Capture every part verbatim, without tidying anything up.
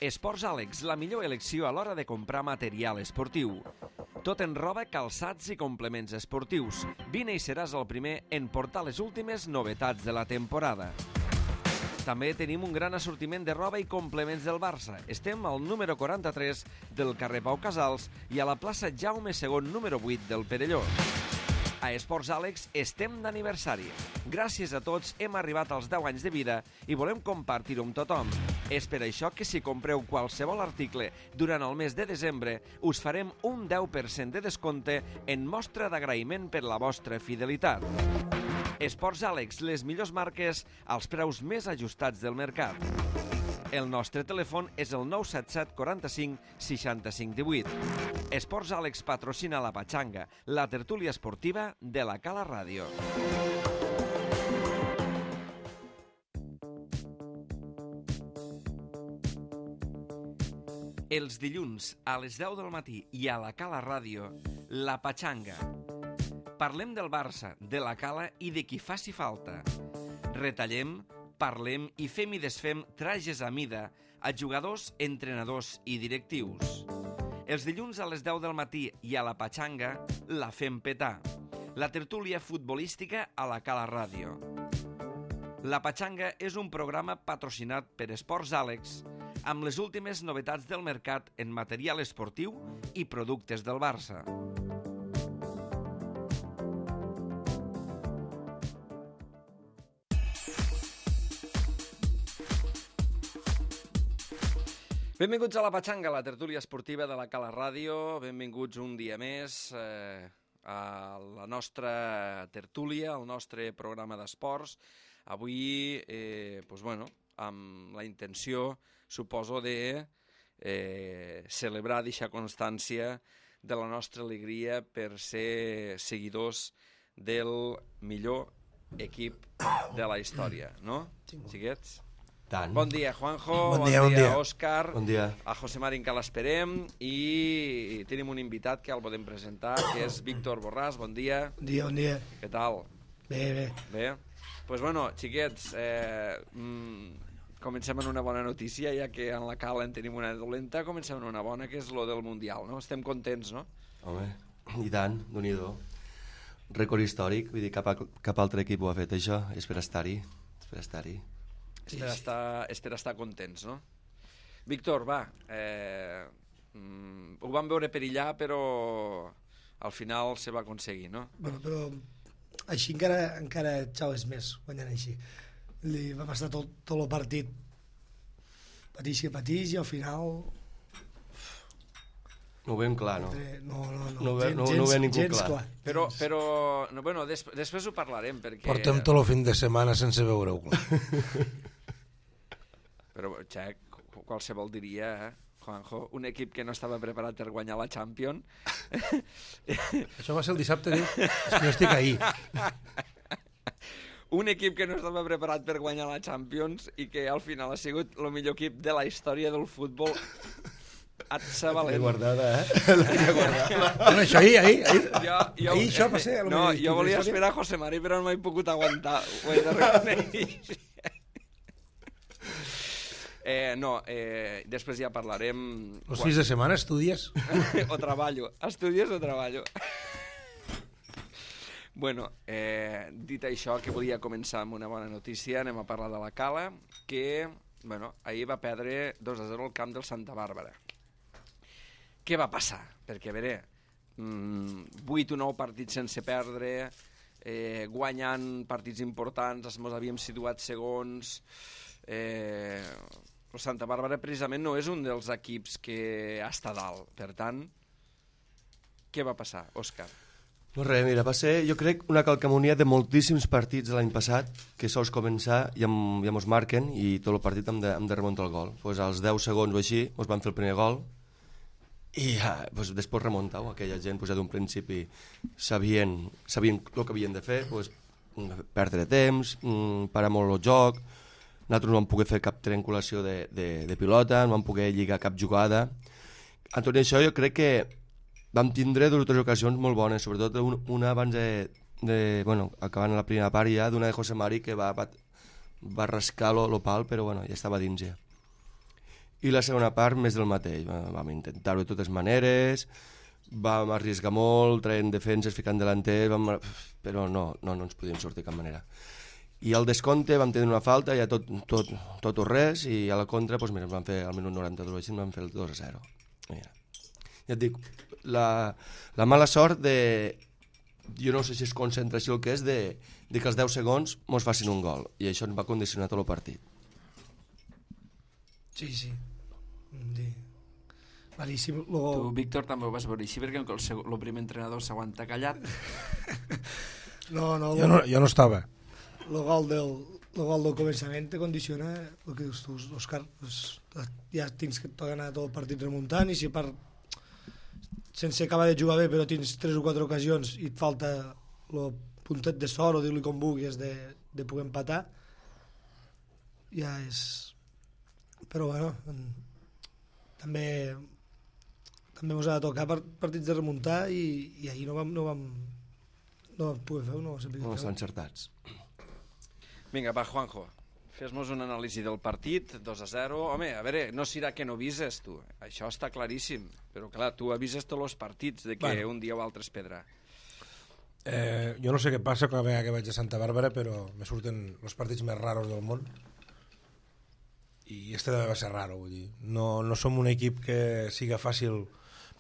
Esports Àlex, la millor elecció a l'hora de comprar material esportiu. Tot en roba, calçats i complements esportius. Vine i seràs el primer en portar les últimes novetats de la temporada. També tenim un gran assortiment de roba i complements del Barça. Estem al número quaranta-tres del carrer Pau Casals i a la plaça Jaume segon número vuit del Perelló. A Esports Àlex estem d'aniversari. Gràcies a tots hem arribat als deu anys de vida i volem compartir-ho amb tothom. És per això que si compreu qualsevol article durant el mes de desembre us farem un deu per cent de descompte en mostra d'agraïment per la vostra fidelitat. Esports Àlex, les millors marques als preus més ajustats del mercat. El nostre telèfon és el nou set set quaranta-cinc seixanta-cinc divuit. Esports Àlex patrocina la Patxanga, la tertúlia esportiva de la Cala Ràdio. Els dilluns a les deu del matí i a la Cala Ràdio, la Patxanga. Parlem del Barça, de la Cala i de qui faci falta. Retallem, parlem i fem i desfem trajes a mida a jugadors, entrenadors i directius. Els dilluns a les deu del matí i a la Patxanga la fem petar. La tertúlia futbolística a la Cala Ràdio. La Patxanga és un programa patrocinat per Esports Àlex amb les últimes novetats del mercat en material esportiu i productes del Barça. Benvinguts a la Patxanga, la tertúlia esportiva de la Cala Ràdio. Benvinguts un dia més eh, a la nostra tertúlia, al nostre programa d'esports. Avui, eh, doncs, bueno, amb la intenció, suposo, de eh, celebrar, deixar constància de la nostra alegria per ser seguidors del millor equip de la història, no, xiquets? Tant. Bon dia, Juanjo, bon bon dia, dia, bon dia. Òscar, Bon dia. a José Marín, que l'esperem, i tenim un invitat que el podem presentar, que és Víctor Borràs. Bon dia. Bon dia, bon dia. Què tal? Bé, bé. Bé? Doncs, pues bueno, xiquets, eh, mm, comencem amb una bona notícia, ja que en la Cala en tenim una dolenta, comencem amb una bona, que és lo del Mundial, no? Estem contents, no? Home, i tant, Déu-n'hi-do. Rècord històric, vull dir, cap, a, cap altre equip ho ha fet, això, és per estar-hi, és per estar-hi. És per, estar, és per estar contents, no? Víctor, va, eh, mm, ho vam veure perillar, però al final se va aconseguir, no? Bueno, però així encara, encara xaues més, guanyant així. Li vam estar tot, tot el partit patix que patix i al final... No ho veiem clar, no? No, no, no. No ho ve- gens, no- no ho ve ningú gens clar. Però, però no, bueno, des, després ho parlarem, perquè... Portem tot el fin de setmana sense veure-ho clar. Però, xec, qualsevol diria, eh, Juanjo, un equip que no estava preparat per guanyar la Champions... Això va ser el dissabte, diu? És que jo estic ahí. Un equip que no estava preparat per guanyar la Champions i que al final ha sigut el millor equip de la història del futbol. Et sa valent. guardada, eh? L'he guardada. Bueno, això ahir, ahir, ahir. Jo, jo, Ahir això va ser el no, millor jo volia història. esperar a José Mari, però no m'he pogut aguantar. Ho he de reconèixer. Eh, no, eh, després ja parlarem... Els fills de setmana estudies? o treballo. Estudies o treballo. Bueno, eh, dit això, que volia començar amb una bona notícia, anem a parlar de la Cala, que bueno, ahir va perdre dos a zero al camp del Santa Bàrbara. Què va passar? Perquè, a veure, mm, vuit o nou partits sense perdre, eh, guanyant partits importants, ens havíem situat segons... Eh, el Santa Bàrbara precisament no és un dels equips que està dalt. Per tant, què va passar, Òscar? No res, mira, va ser, jo crec, una calcamonia de moltíssims partits de l'any passat, que sols començar i em, ja mos marquen i tot el partit hem de, hem de remuntar el gol. Pues als deu segons o així mos van fer el primer gol i ja, pues, després remuntar-ho. Aquella gent pues, ja d'un principi sabien, sabien el que havien de fer, pues, perdre temps, parar molt el joc. Nosaltres no vam poder fer cap triangulació de, de, de pilota, no vam poder lligar cap jugada. En tot això jo crec que vam tindre dues o tres ocasions molt bones, sobretot una abans de, de bueno, acabant la primera part ja, d'una de José Mari que va, va, va rascar lo, lo pal, però bueno, ja estava dins ja. i la segona part més del mateix. Vam intentar-ho de totes maneres, vam arriesgar molt, traient defenses, ficant delanters, vam... però no, no, no ens podíem sortir de cap manera. I al descompte vam tenir una falta, ja tot, tot, tot o res, i a la contra, doncs mira, vam fer al minut noranta-dos, així vam fer el dos a zero. Mira. Ja et dic, la, la mala sort de... Jo no sé si és concentració el que és, de, de que als deu segons mos facin un gol, i això ens va condicionar tot el partit. Sí, sí. Sí. Malíssim. Luego... Tu, Víctor, també ho vas veure així, perquè el, seg... el primer entrenador s'aguanta callat. no, no, jo no. Jo no estava. El gol del, el gol del començament te condiciona el que dius tu, Òscar. Ja tens que anar tot el partit remuntant, i si per sense acabar de jugar bé però tens tres o quatre ocasions i et falta el puntet de sort, o dir-li com vulguis, de, de poder empatar, ja és... Però bueno, també també ens ha de tocar partits de remuntar, i, i ahir no vam no vam no vam poder fer-ho, no vam saber No fer-ho. estan encertats. Vinga, va, Juanjo, fes-nos una anàlisi del partit, dos a zero. Home, a veure, no serà que no avises, tu. Això està claríssim. Però, clar, tu avises tots els partits de que bueno, un dia o altre es pedrà. Eh, jo no sé què passa cada vegada que vaig a Santa Bàrbara, però me surten els partits més raros del món. I este també va ser raro, vull dir. No, no som un equip que siga fàcil...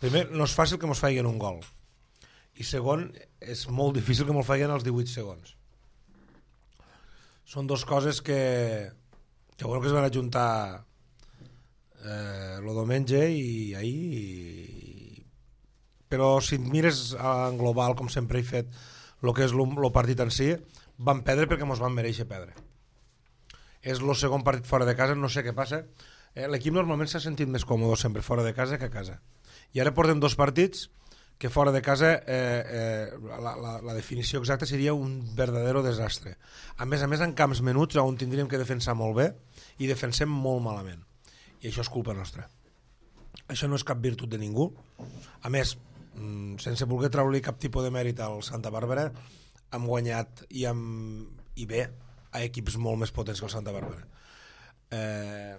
Primer, no és fàcil que mos faiguen un gol. I segon, és molt difícil que mos faiguen als divuit segons. Són dues coses que, que bueno que es van ajuntar eh, el diumenge i ahir, i... però si et mires en global, com sempre he fet, el que és el partit en si, van perdre perquè mos van mereixer perdre. És el segon partit fora de casa, no sé què passa. Eh, l'equip normalment s'ha sentit més còmode sempre fora de casa que a casa. I ara portem dos partits que fora de casa eh, eh, la, la, la definició exacta seria un verdadero desastre. A més a més, en camps menuts on tindríem que defensar molt bé i defensem molt malament. I això és culpa nostra. Això no és cap virtut de ningú. A més, sense voler treure-li cap tipus de mèrit al Santa Bàrbara, hem guanyat i, hem, i bé a equips molt més potents que el Santa Bàrbara. Eh...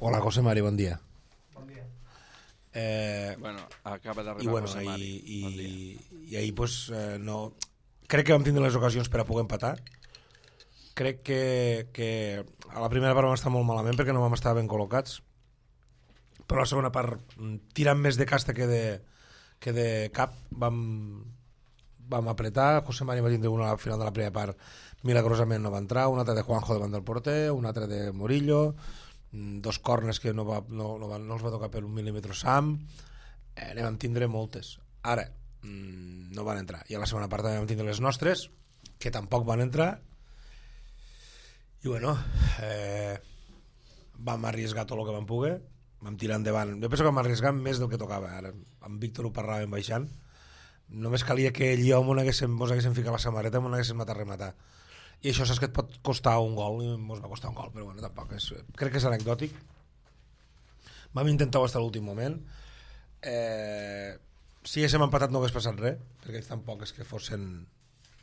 Hola, José Mari, bon dia. Eh, bueno, acaba d'arribar i, bueno, José Mari. I, bon i, i ahir pues, eh, no... crec que vam tindre les ocasions per a poder empatar. Crec que, que a la primera part vam estar molt malament perquè no vam estar ben col·locats, però a la segona part, tirant més de casta que de, que de cap, vam, vam apretar. José Mari va tindre una al final de la primera part, milagrosament no va entrar, una altra de Juanjo davant del porter, una altra de Morillo, dos corners que no, va, no, no, va, no els va tocar per un mil·límetre Sam. Eh, ne vam tindre moltes. Ara, mmm, no van entrar. I a la segona part també vam tindre les nostres, que tampoc van entrar. I bueno, eh, vam arriesgar tot el que vam poder, vam tirar endavant. Jo penso que vam arriesgar més del que tocava. Ara, amb Víctor ho parlàvem baixant. Només calia que ell i jo mos haguéssim, mos haguéssim ficat la samarreta, mos haguéssim matat a rematar. I això saps que et pot costar un gol, i ens va costar un gol, però bueno, tampoc és, crec que és anecdòtic. Vam intentar fins a l'últim moment. Eh, si haguéssim empatat no hagués passat res, perquè ells tampoc és que fossin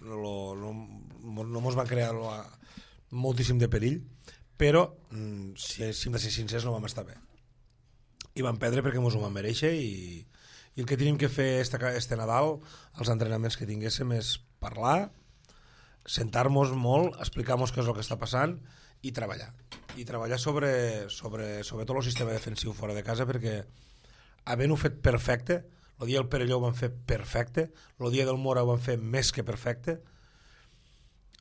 no, no, no mos van crear lo, moltíssim de perill, però si, si hem de ser sincers no vam estar bé i vam perdre perquè mos ho vam mereixer, i, i el que tenim que fer este, este Nadal, els entrenaments que tinguéssim, és parlar, sentar-nos molt, explicar-nos què és el que està passant i treballar. I treballar sobre, sobre, sobre tot el sistema defensiu fora de casa, perquè havent-ho fet perfecte, el dia del Perelló ho van fer perfecte, el dia del Mora ho van fer més que perfecte,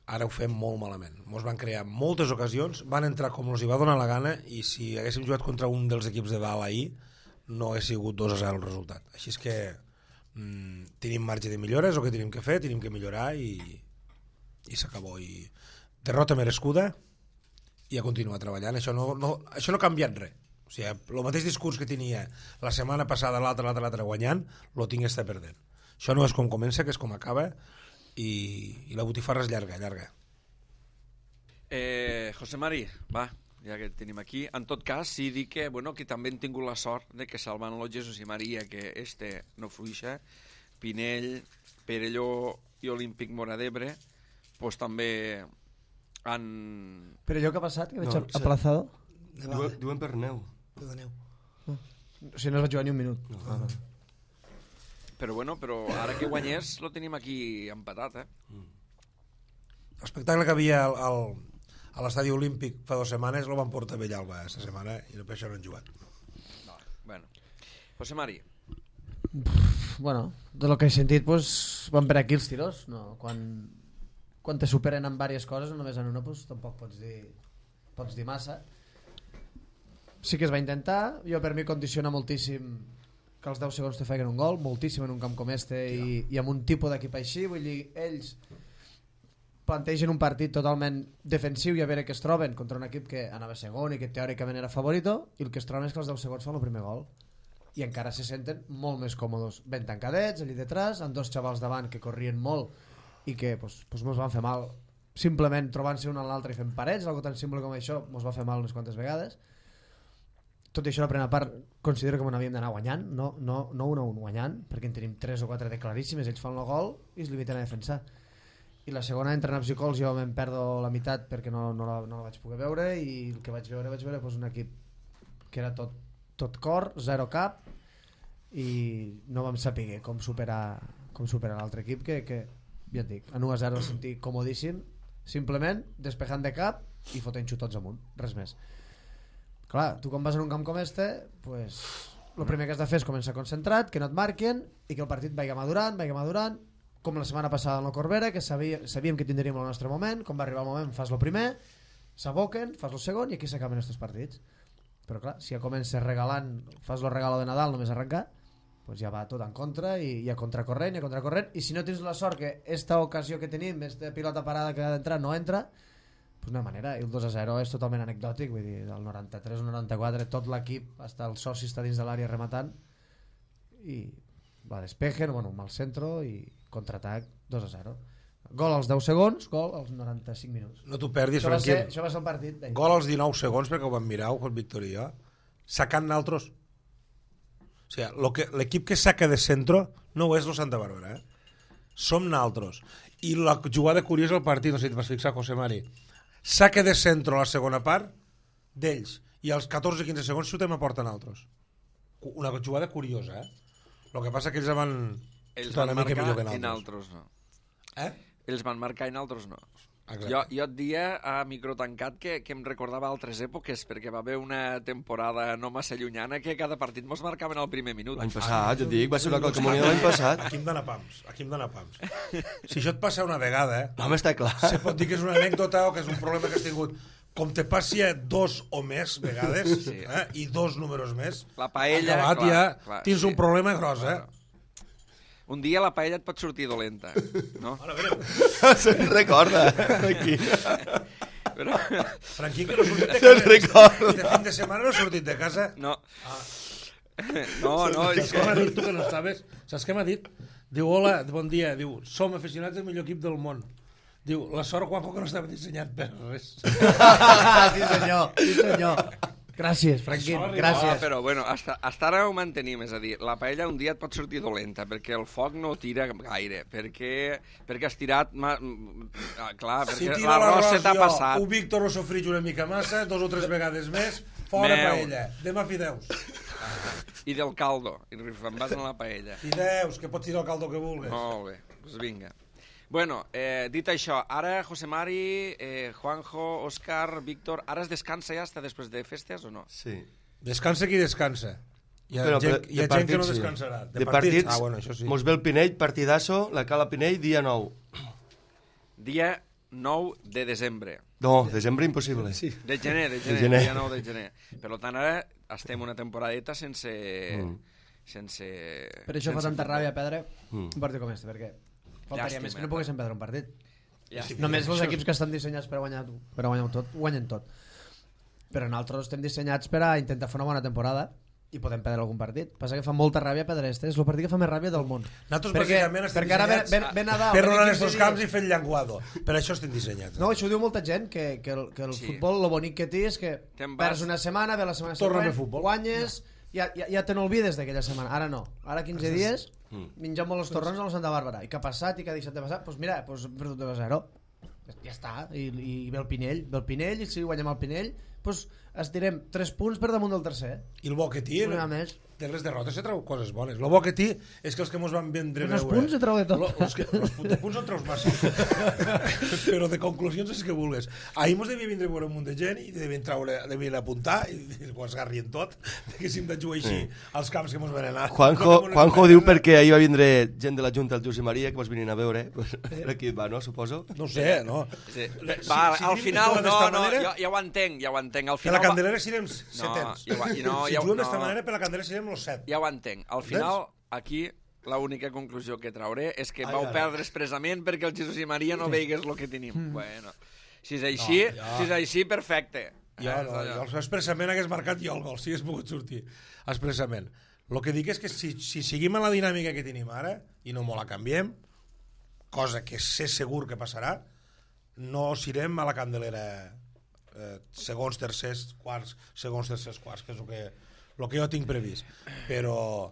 ara ho fem molt malament. Ens van crear moltes ocasions, van entrar com els hi va donar la gana, i si haguéssim jugat contra un dels equips de dalt ahir, no hagués sigut dos a zero el resultat. Així és que mmm, tenim marge de millores, el que tenim que fer, tenim que millorar, i i s'acabó. I derrota merescuda i a continuar treballant. Això no, no, això no ha canviat res. O sigui, el mateix discurs que tenia la setmana passada, l'altre, l'altre, l'altre guanyant, lo tinc està perdent. Això no és com comença, que és com acaba, i, i la botifarra és llarga, llarga. Eh, José Mari, va, ja que tenim aquí. En tot cas, sí dir que, bueno, que també hem tingut la sort de que salvant el Jesús i Maria, que este no fluixa, Pinell, Perelló i Olímpic Mora d'Ebre, pues també han... Però allò que ha passat, que veig No, aplazado... Diuen, diuen per neu. De neu. O sigui, no es va jugar ni un minut. No. Ah, Però bueno, però ara que guanyés lo tenim aquí empatat, eh? L'espectacle que havia al, al, a l'estadi olímpic fa dues setmanes el van portar a Bellalba aquesta setmana i no per això no han jugat. No, bueno. José Mari. bueno, de lo que he sentit, pues, van per aquí els tiros. No? Quan, quan te superen en diverses coses, no només en una, pues, tampoc pots dir, pots dir massa. Sí que es va intentar. Jo, per mi, condiciona moltíssim que els deu segons te feien un gol, moltíssim en un camp com este i, i amb un tipus d'equip així. Vull dir, ells plantegen un partit totalment defensiu i a veure què es troben contra un equip que anava segon i que teòricament era favorito, i el que es troben és que els deu segons fan el primer gol i encara se senten molt més còmodes ben tancadets, allí detrás, amb dos xavals davant que corrien molt i que pues, pues mos van fer mal simplement trobant-se un a l'altre i fent parets, algo tan simple com això mos va fer mal unes quantes vegades. Tot i això, la primera part considero que m'havíem d'anar guanyant, no, no, no un a un guanyant, perquè en tenim tres o quatre de claríssimes, ells fan el gol i es limiten a defensar. I la segona, entre naps i cols, jo me'n perdo la meitat perquè no, no, la, no la vaig poder veure, i el que vaig veure, vaig veure pues, un equip que era tot, tot cor, zero cap, i no vam saber com superar, com superar l'altre equip, que, que ja et dic, en u a zero el sentir comodíssim, simplement despejant de cap i fotent xutots amunt, res més. Clar, tu quan vas en un camp com este, pues, el primer que has de fer és començar concentrat, que no et marquen i que el partit vagi madurant, vagi madurant, com la setmana passada en la Corbera, que sabia, sabíem que tindríem el nostre moment, quan va arribar el moment fas el primer, s'aboquen, fas el segon i aquí s'acaben estos partits. Però clar, si ja comences regalant, fas el regalo de Nadal només arrencar, pues ja va tot en contra i, i a contracorrent i a contracorrent, i si no tens la sort que esta ocasió que tenim, esta pilota parada que ha d'entrar no entra, pues no hi ha manera, i el dos a zero és totalment anecdòtic, vull dir, del noranta-tres al noranta-quatre tot l'equip, fins el soci està dins de l'àrea rematant i la despejen, bueno, un mal centro i contraatac dos a zero. Gol als deu segons, gol als noranta-cinc minuts. No t'ho perdis, Això va, ser, Franquín. això va ser el partit. Venga. Gol als dinou segons, perquè ho vam mirar, Juan Víctor i jo. Sacant naltros. O sigui, lo que, l'equip que saca de centro no ho és el Santa Bàrbara, eh? Som naltros. I la jugada curiosa del partit, no sé si et vas fixar, José Mari. Saca de centro a la segona part d'ells i als catorze quinze segons xutem a porta naltros. Una jugada curiosa, eh? El que passa que ells van... Ells Una van mica millor marcar que i naltros. naltros no. Eh? Ells van marcar i naltros no. Exacte. Jo, jo et dia a micro tancat que, que em recordava altres èpoques, perquè va haver una temporada no massa llunyana que cada partit mos marcaven al primer minut. L'any passat, jo et dic, va ser una calcamonia l'any passat. Aquí em dóna pams, aquí em dóna pams. Si això et passa una vegada, eh? No, home, està clar. Se pot dir que és una anècdota o que és un problema que has tingut. Com te passi a dos o més vegades, Sí. eh? I dos números més, La paella, acabat clar, ja clar, tens sí. un problema gros, eh? Claro. Un dia la paella et pot sortir dolenta, no? Ara, greu. Se'n recorda, aquí. Però, Franquín, que no ha sortit de Se'n casa. recorda. Este fin de setmana no ha sortit de casa. no. No, no, és Saps què m'ha que... dit tu que no estaves? Saps què m'ha dit? Diu, hola, bon dia. Diu, som aficionats del millor equip del món. Diu, la sort, Juanjo, que no estava dissenyat per res. sí senyor, sí senyor. Gràcies, Franquín, Això No, gràcies. però bueno, hasta, hasta ara ho mantenim, és a dir, la paella un dia et pot sortir dolenta, perquè el foc no tira gaire, perquè, perquè has tirat... Ma... Ah, clar, Si perquè tira l'arròs se l'arròs t'ha jo, passat. un Víctor ho sofreix una mica massa, dos o tres vegades més, fora Meu. paella. Demà fideus. I del caldo, i em vas en la paella. Fideus, que pots tirar el caldo que vulguis. Molt bé, doncs vinga. Bueno, eh, dit això, ara José Mari, eh, Juanjo, Òscar, Víctor, ara es descansa ja, està després de festes o no? Sí. Descansa qui descansa. Hi ha, Però, gent, però, hi ha de gent que no partits, sí. descansarà. De, partits, Ah, bueno, això sí. mos ve el Pinell, partidasso, la Cala Pinell, dia nou. Dia nou de desembre. No, desembre impossible. Sí. De gener, de gener, gener. dia nou de gener. Per tant, ara estem una temporadeta sense... Mm. sense Per això fa sense tanta futbol. ràbia perdre Mm. un partit com este, perquè faltaria Llàstima, més que no eh? poguessin perdre un partit. Llàstima. Només els equips que estan dissenyats per guanyar, per guanyar tot, guanyen tot. Però nosaltres estem dissenyats per a intentar fer una bona temporada i podem perdre algun partit. Passa que fa molta ràbia perdre este, és el partit que fa més ràbia del món. Nosaltres perquè, bàsicament estem perquè ara ve, ve, dissenyats ve Nadal. per venen rolar en quinze estos dies. camps i fent llenguado. Per això estem dissenyats. No, això ho diu molta gent, que, que el, que el Sí. futbol, lo bonic que té és que Te'n vas- perds una setmana, ve la setmana Torna a següent, fer futbol. guanyes, ja, ja, ja te n'olvides d'aquella setmana. Ara no. Ara quinze dies, menjam molt els torrons a la Santa Bàrbara. I què ha passat i què ha deixat de passar? Doncs pues mira, pues hem perdut dos a zero. Ja està. I, i ve el Pinell. Ve el Pinell, i si guanyem el Pinell, pues estirem tres punts per damunt del tercer. I el bo que té, Una més. de les derrotes se treu coses bones. El bo que té és que els que mos van vendre Els veure... punts se treu de tot. Lo, els, que, els punts, de punts no treus massa. Però de conclusions és que vulgues. Ahir mos devia vindre a veure un munt de gent i devien, traure, devien apuntar i, i ho esgarrien tot, que si hem de jugar així als camps que mos van anar. Juanjo, Juanjo diu perquè ahir va vindre gent de la Junta, el Josep Maria, que vos venien a veure. Per aquí va, no? Suposo. No sé, no? Sí. Si- Va, si al juguem final, d'esta no, no, manera- jo, ja ho entenc, ja ho entenc. Al Que final, la Candelera serem No, setens. ja ho- i no, si ja ho- juguem d'esta no. manera, per la Candelera serem los set. ja ho entenc. Al final, aquí, l'única conclusió que trauré és que Ai, vau ai. perdre expressament perquè el Jesús i Maria no veigués el que tenim. Bueno, si és així, No, ja. si és així, perfecte. Jo, Eh, no, allò. jo expressament hagués marcat jo el gol, si hagués pogut sortir expressament. El que dic és que si, si seguim en la dinàmica que tenim ara i no molt la canviem, cosa que sé segur que passarà, no serem a la Candelera eh, segons, tercers, quarts, segons, tercers, quarts, que és el que, el que jo tinc previst. Però,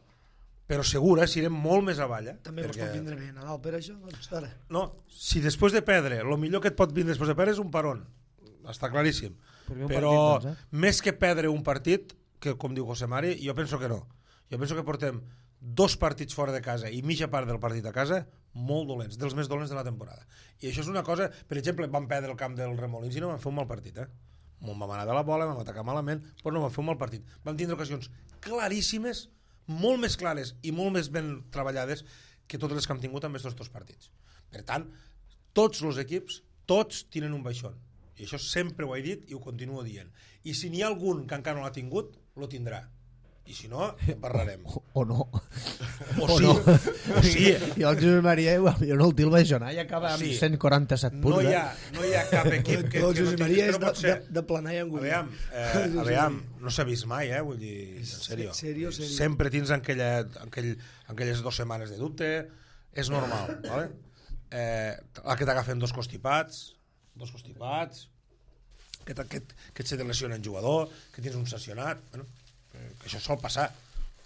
però segur, eh, serem molt més avall. Eh, També perquè... pot vindre bé Nadal per això, doncs ara. No, si després de perdre, el millor que et pot vindre després de perdre és un peron. Està claríssim. Perquè un Però partit, doncs, més que perdre un partit, que com diu José Mari, jo penso que no. Jo penso que portem dos partits fora de casa i mitja part del partit a casa molt dolents, dels més dolents de la temporada. I això és una cosa, per exemple, vam perdre el camp del Remolins i no vam fer un mal partit, eh? Vam anar de la bola, vam atacar malament, però no vam fer un mal partit. Vam tindre ocasions claríssimes, molt més clares i molt més ben treballades que totes les que hem tingut amb aquests dos partits. Per tant, tots els equips, tots tenen un baixón. I això sempre ho he dit i ho continuo dient. I si n'hi ha algun que encara no l'ha tingut, lo tindrà. I si no, en parlarem. O, o no. O sí, no. o sí. I el Josep Maria, jo no el til baixonar, i acaba amb Sí. cent quaranta-set punts. No hi eh? ha, no hi ha cap equip que, El que no Josep tingui, Maria que és no de, pot ser. de, de planar i engolir. Aviam, eh, aviam, no s'ha vist mai, eh? Vull dir, en sèrio. Serio, serio. Sempre tens aquella, aquell, aquelles dues setmanes de dubte, és normal, ¿vale? Eh, que t'agafen dos constipats, dos constipats, que, que, que et se te lesiona un jugador, que tens un sancionat, bueno, eh, que això sol passar.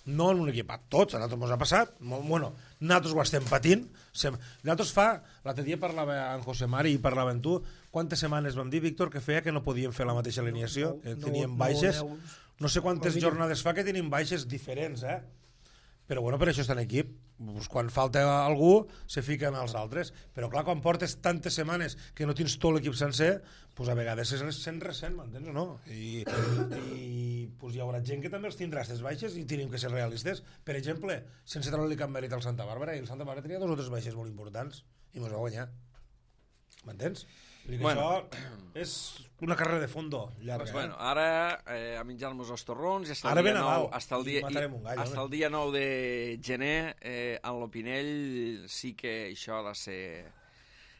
No en un equip, a tots, a nosaltres ens ha passat, molt, bueno, nosaltres ho estem patint, sem... nosaltres fa, l'altre dia parlava amb José Mari i parlava amb tu, quantes setmanes vam dir, Víctor, que feia que no podíem fer la mateixa alineació, que No, teníem no, baixes, no, no sé quantes no, jornades fa que tenim baixes diferents, eh? Però bueno, per això està en equip. Pues quan falta algú, se fiquen els altres. Però clar, quan portes tantes setmanes que no tens tot l'equip sencer, pues a vegades es sent recent, m'entens o no? I, i pues hi haurà gent que també els tindrà aquestes baixes i tenim que ser realistes. Per exemple, sense treure-li cap mèrit al Santa Bàrbara, i el Santa Bàrbara tenia dos o tres baixes molt importants i mos va guanyar. M'entens? Vull dir que Bueno. això és una carrera de fondo llarga. Pues bueno, ara eh, a menjar-nos els torrons i hasta Ara el dia ve nou, Nadal hasta el i dia, matarem un gall, hasta home. el dia nou de gener eh, en l'Opinell sí que això ha de ser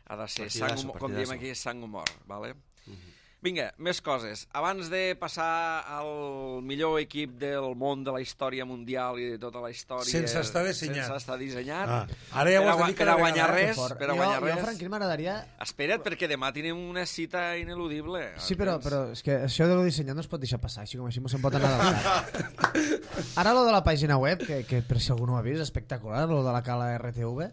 ha de ser sang, Partidazo, humor, com diem partidazo. aquí, sang humor, vale? Vinga, més coses. Abans de passar al millor equip del món de la història mundial i de tota la història... Sense estar dissenyat. Sense estar dissenyat. Ah, ara ja ho per, has de a, dir per cada a guanyar vegada, res, Fort. per a jo, guanyar jo, res. Franquín, m'agradaria... Espera't, perquè demà tenim una cita ineludible. Sí, però, però és que això de lo dissenyat no es pot deixar passar, així com així se'n pot anar del cap. Ara lo de la pàgina web, que, que per si algú no ho ha vist, és espectacular, lo de la cala R T V,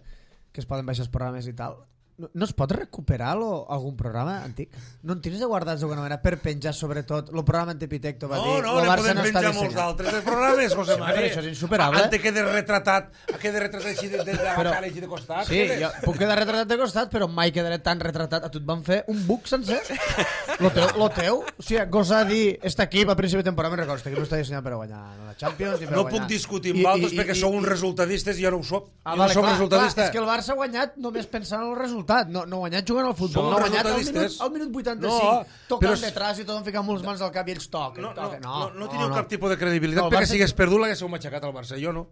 que es poden baixar els programes i tal. No, no es pot recuperar lo, algun programa antic? No en tens de guardats d'alguna manera per penjar, sobretot, el programa Antepitecto va No, dir... no, lo ne Barça podem no està penjar molts dissenyat. d'altres de programes, José Sí, Mari. però això és insuperable. Ante quede retratat, quede retratat així de, de, de la Però- cara així de costat. Sí, quede. jo puc quedar retratat de costat, però mai quedaré tan retratat. A tu et van fer un book sencer. Lo teu, lo teu, o sigui, gosar dir, este equip a principi de temporada, me'n recordo, este equip no està dissenyat per a guanyar la Champions ni per No a guanyar. puc discutir I- amb altres i- perquè i- sou uns i- resultadistes i jo no ho soc. Ah, jo vale, no soc clar, resultadista. clar, és que el Barça ha guanyat només pensant en el resultat, no, no ha guanyat jugant al futbol, Som no ha guanyat al minut, resultadistes. al minut vuitanta-cinc, No, tocant però és- detrás i tothom ficant moltes mans al cap i ells toquen. No, no, toquen. no, no, no no, teniu no. cap tipus de credibilitat No, el perquè Barça- si hagués perdut l'haguéssiu matxacat al Barça, jo no.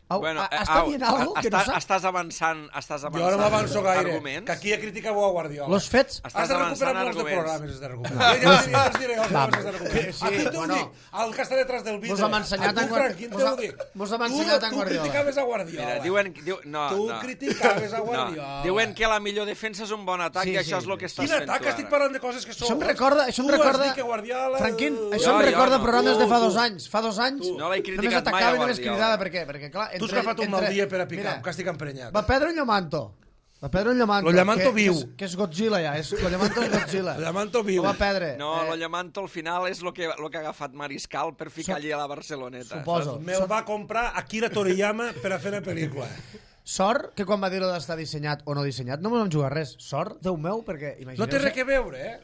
Au, Bueno, a- eh, està au, dient algo que no estàs, sap? estàs avançant, estàs Jo avançant ara m'avanço gaire, arguments. que aquí a crítica a Guardiola. Los fets... Estàs Has de recuperar avançant molts de arguments. programes, has de recuperar. Ja, ja, ja, ja us diré, els Va, has de recuperar. sí, A qui t'ho bueno. dic? El que està detrás del vidre. Mos hem ensenyat A tu, en Guardiola. Frank, quin Mos t'ho ha- dic? mos hem Tu- ensenyat en Tu Guardiola. criticaves a Guardiola. Mira, diuen, diu, no, Tu no. criticaves a No, Guardiola. diuen que la millor defensa és un bon atac Sí, i això sí. és el que estàs Quin fent atac? tu Estic ara. parlant de coses que són... Això em recorda... Això em Tu has recorda... dit que Guardiola... Franquín, Jo, això em jo recorda no. programes de fa Tu, dos tu. anys. Fa dos anys No l'he només criticat mai a atacava i només Guardiola. cridava. Per què? Perquè, clar, Tu has entre- agafat un mal entre- dia per a picar, Mira, que estic emprenyat. va perdre un Llomanto. Va perdre un Llamanto. Lo Llamanto que, viu. Que és, que és Godzilla, ja. És, lo Llamanto és Godzilla. El Llamanto viu. Ho va perdre. No, eh, el Llamanto al final és el que, lo que ha agafat Mariscal per ficar allí a la Barceloneta. Suposo. Me'l va comprar Akira Toriyama per a fer una pel·lícula. Sort que quan va dir-ho d'estar dissenyat o no dissenyat no vam jugar res. Sort, Déu meu, perquè imagineu... No té res que veure, eh?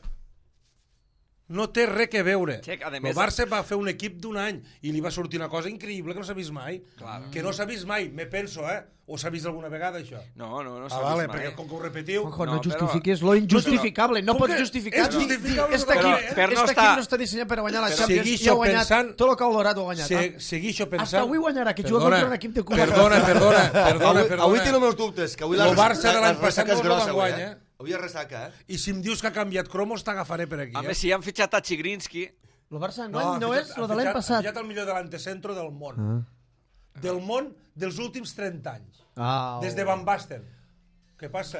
No té res que veure. Che, a El més- Barça va fer un equip d'un any i li va sortir una cosa increïble que no s'ha vist mai. Clar. Que no s'ha vist mai, me penso, eh? O s'ha vist alguna vegada, això? No, no, no Ah, s'ha vale, vist mai. perquè com que ho repetiu... Ojo, no, No, però- justifiquis lo injustificable. No Com pots que justificar. és justificable Este tot, equip, eh? Per no este estar- equip no està dissenyat per guanyar la Però Champions i seguixo ha guanyat pensant- tot el que ha olorat ho ha guanyat. Se, Ah, seguixo pensant... Hasta avui guanyarà, que juga Perdona, contra un equip de cul. Perdona, perdona, perdona, Avui, perdona. avui tinc els meus dubtes, que avui Lo la, Barça de la- l'any la passat ressaca és no el grossa, van avui, guanyar. eh? Avui és ressaca, eh? I si em dius que ha canviat cromos, t'agafaré per aquí. A Eh? més, si han fitxat a Chigrinsky... El Barça No, enguany no, ha és fitxat- el ha de l'any fitxat- passat. Ha fitxat el millor delantecentro del món. Del món dels últims trenta anys. Ah, Des de Van Basten. Què passa?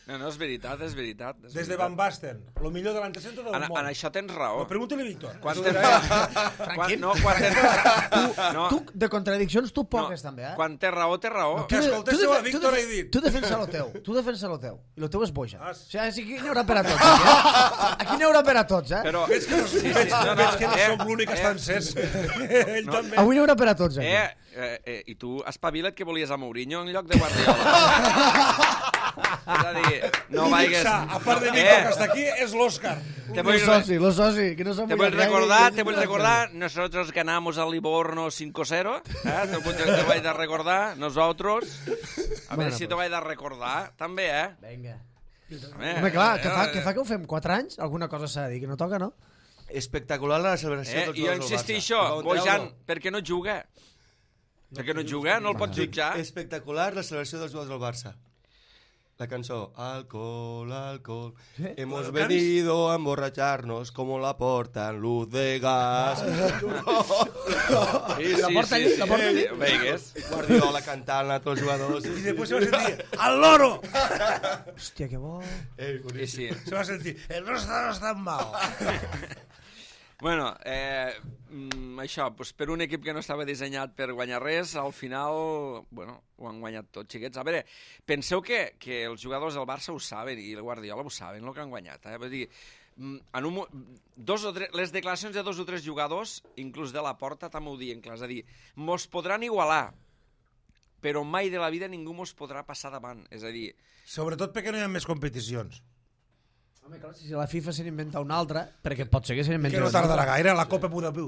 No, no, és veritat, és veritat. És Des de veritat. Van Basten. El millor delantecentro del En, món. en això tens raó. No, pregunta-li a Víctor. Quan Això tens... dirà- quan, no, quan tens... no, Tu, de contradiccions, tu no, poques, també, eh? quan té raó, té raó. Que escoltéssiu a defe- Víctor defe- he dit. Tu defensa lo teu, tu defensa lo teu. I lo teu és boja. Ah, O sigui, aquí n'hi haurà per a tots. Aquí, eh? Aquí n'hi haurà per a tots, eh? Però... Veig que no, Sí, sí, veig, no, no, veig que no eh, som l'únic que eh, està encès. Ell No. també. Avui n'hi haurà per a tots, aquí. Eh, eh, eh, i tu espavila't que volies a Mourinho en lloc de Guardiola. És a dir, no L'únic vaigues... sa, a part de Eh, Víctor, que està aquí, és l'Òscar. Te Lo vull, soci, lo soci, que no s'ha te vull recordar, te vull recordar, nosotros ganamos al Livorno cinco cero, eh? Te, vull- te vaig de recordar, nosotros. A Bueno, veure si te pues. vaig de recordar, també, eh? Vinga. Eh, Home, clar, que eh, fa, que fa que ho fem quatre anys? Alguna cosa s'ha de dir, que no toca, no? Espectacular la celebració Eh, dels I jo jugadors del insistixo, Barça. Ho vau Bojan, treure? per què no juga? Per què no juga? No el pots jutjar? Espectacular la celebració dels jugadors del Barça. La cançó Alcohol, alcohol. Hemos Bueno, venido a emborracharnos como la porta en luz de gas. Sí, La porta allí, la porta allí. Veigues? Guardiola cantant a tots els jugadors. I després se va sentir al loro. Hòstia, que bo. Ei, Sí, boníssim. sí. Se va sentir, el nostre no està mal. Bueno, eh, mm, això, doncs per un equip que no estava dissenyat per guanyar res, al final, bueno, ho han guanyat tots, xiquets. A veure, penseu que, que els jugadors del Barça ho saben i el Guardiola ho saben, el que han guanyat. Eh? Vull dir, mm, en un, mo- dos o tres, les declaracions de dos o tres jugadors, inclús de la Porta, també ho diuen clar. És a dir, mos podran igualar, però mai de la vida ningú mos podrà passar davant. És a dir, Sobretot perquè no hi ha més competicions. Home, clar, si la FIFA se n'inventa una altra, perquè pot ser que se n'inventi Que no una tardarà altra. gaire, la Copa Abu Dhabi.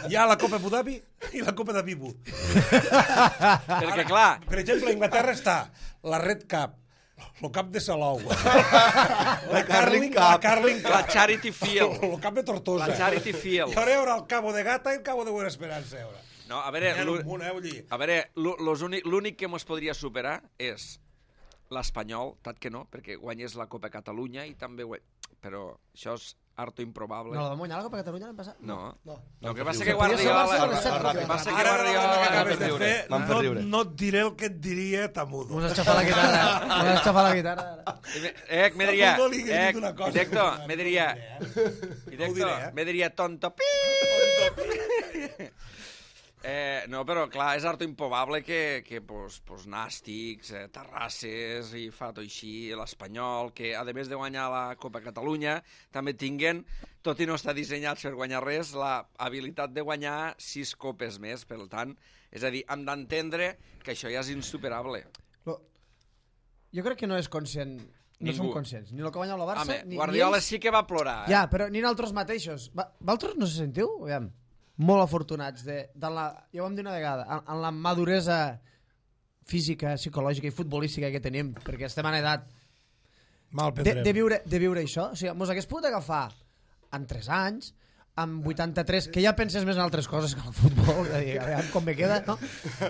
Hi ha la Copa Abu Dhabi i la Copa de Bibu. perquè clar, Per exemple, a Inglaterra està la Red Cup, el cap de Salou, la Carling Cup, la Carling Cup, la Charity Field, el cap de Tortosa. la Charity Field. I ara hi haurà el Cabo de Gata i el Cabo de Buena Esperança. Ara. No, a veure, N'hi ha l'ú- un munt, eh, vull dir. a veure, l'ú- los únic- l'únic que mos podria superar és l'Espanyol, tant que no, perquè guanyés la Copa Catalunya i també guany... Però això és harto improbable. No, la vam guanyar la Copa Catalunya l'any passat? No. No. No, que passa que Podria ser el Barça Guardiola... de les set El que Copa. passa que Ara, ara, Guardiola... ara que va acabes fer de riure. fer, Vam fer no, riure. no et diré el que et diria Tamudo. M'has aixafat la guitarra. M'has aixafat la guitarra. Eh, me diria... Tamudo li he Eh, dit una cosa. directo, me diria... Ho Directo, diré, eh? me diria tonto. Eh, no, però clar, és harto improbable que, que pues, pues, Nàstics, eh, Terrasses i Fato així, l'Espanyol, que a més de guanyar la Copa Catalunya, també tinguen, tot i no està dissenyat per guanyar res, la habilitat de guanyar sis copes més. Per tant, és a dir, hem d'entendre que això ja és insuperable. Lo- Jo crec que no és conscient, no Ningú. som conscients, ni el que guanya el Barça, Home, ni, Guardiola ni ells. sí que va plorar, eh? Ja, però ni nosaltres mateixos. Va, vosaltres no se sentiu? Aviam. Molt afortunats de, de la, ja ho vam dir una vegada, en, en la maduresa física, psicològica i futbolística que tenim, perquè estem en edat Mal de, prendrem. de, viure, de viure això. O sigui, mos hagués pogut agafar en tres anys, amb vuitanta-tres, que ja penses més en altres coses que en el futbol, de dir, a veure com me queda, no?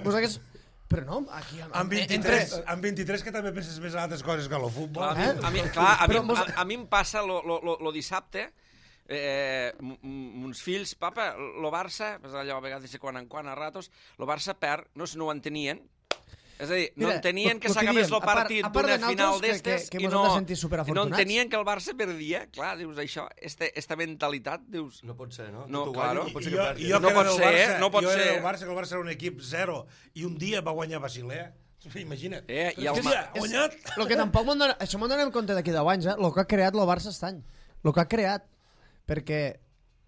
Mos hagués... Però no, aquí... Amb vint-i-tres, amb vint-i-tres que també penses més en altres coses que en el futbol. Clar, a, mi, Eh? a, mi, clar, a, mi, Però mos- a, a mi em passa lo, lo, lo, lo dissabte, eh, m- m- uns fills, papa, lo Barça, pues allò a vegades de quan en quan a ratos, lo Barça perd, no, no ho entenien. És a dir, no Mira, entenien lo- que lo que s'acabés diem, el a part- partit a part d'una de final nosaltres, que- d'estes que- que i mos no, hem de sentir i no superafortunats. entenien que el Barça perdia. Clar, dius això, este, esta mentalitat, dius... No pot ser, no? No, Tu claro. guanyes, I, pot i ser que jo, perdi. i jo No que era pot del ser, Barça, no pot jo era ser. del Barça, que el Barça era un equip zero, i un dia va guanyar Basilea, Imagina't. Eh, i el Hòstia, Ma- ha guanyat! Lo que tampoc m'ho donem, això m'ho donem compte d'aquí deu anys, eh? Lo que ha creat el Barça aquest any. Lo que ha creat. Perquè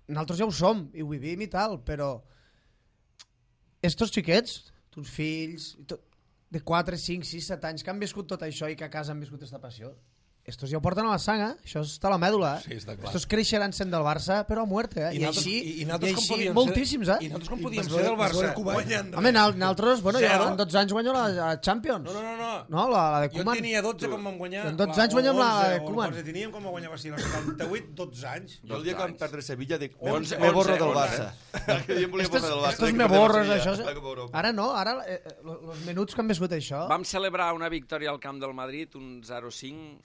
nosaltres ja ho som, i ho vivim i tal, però estos xiquets, tus fills, i tot, de quatre, cinc, sis, set anys que han viscut tot això i que a casa han viscut aquesta passió, estos ja ho porten a la sang, eh? Això està a la mèdula, eh? Sí, està clar. Estos creixeran sent del Barça, però a muerte, eh? I, I nosaltres- així, i, i i nosaltres com així podíem moltíssims, ser, eh? I nosaltres com I podíem vas ser del veure- vas Barça veure Kuwait. guanyant Home, nal- nosaltres, bueno, jo Zero. en dotze anys guanyo la, la Champions. No, no, no, no. No, la, la de Jo Koeman. tenia dotze quan vam guanyar. En dotze la- anys guanyem o la onze, de o Koeman. onze teníem quan vam guanyar Barcelona, el setanta-vuit, dotze anys. Jo el dia que vam perdre Sevilla dic, me, onze, me borro onze, del onze. Barça. El dia em volia Estos, borrar del Barça. estos que me perdem borros, Sevilla, això. la Copa Europa. Ara no, ara eh, els minuts que han viscut això... Vam celebrar una victòria al camp del Madrid, un zero cinc,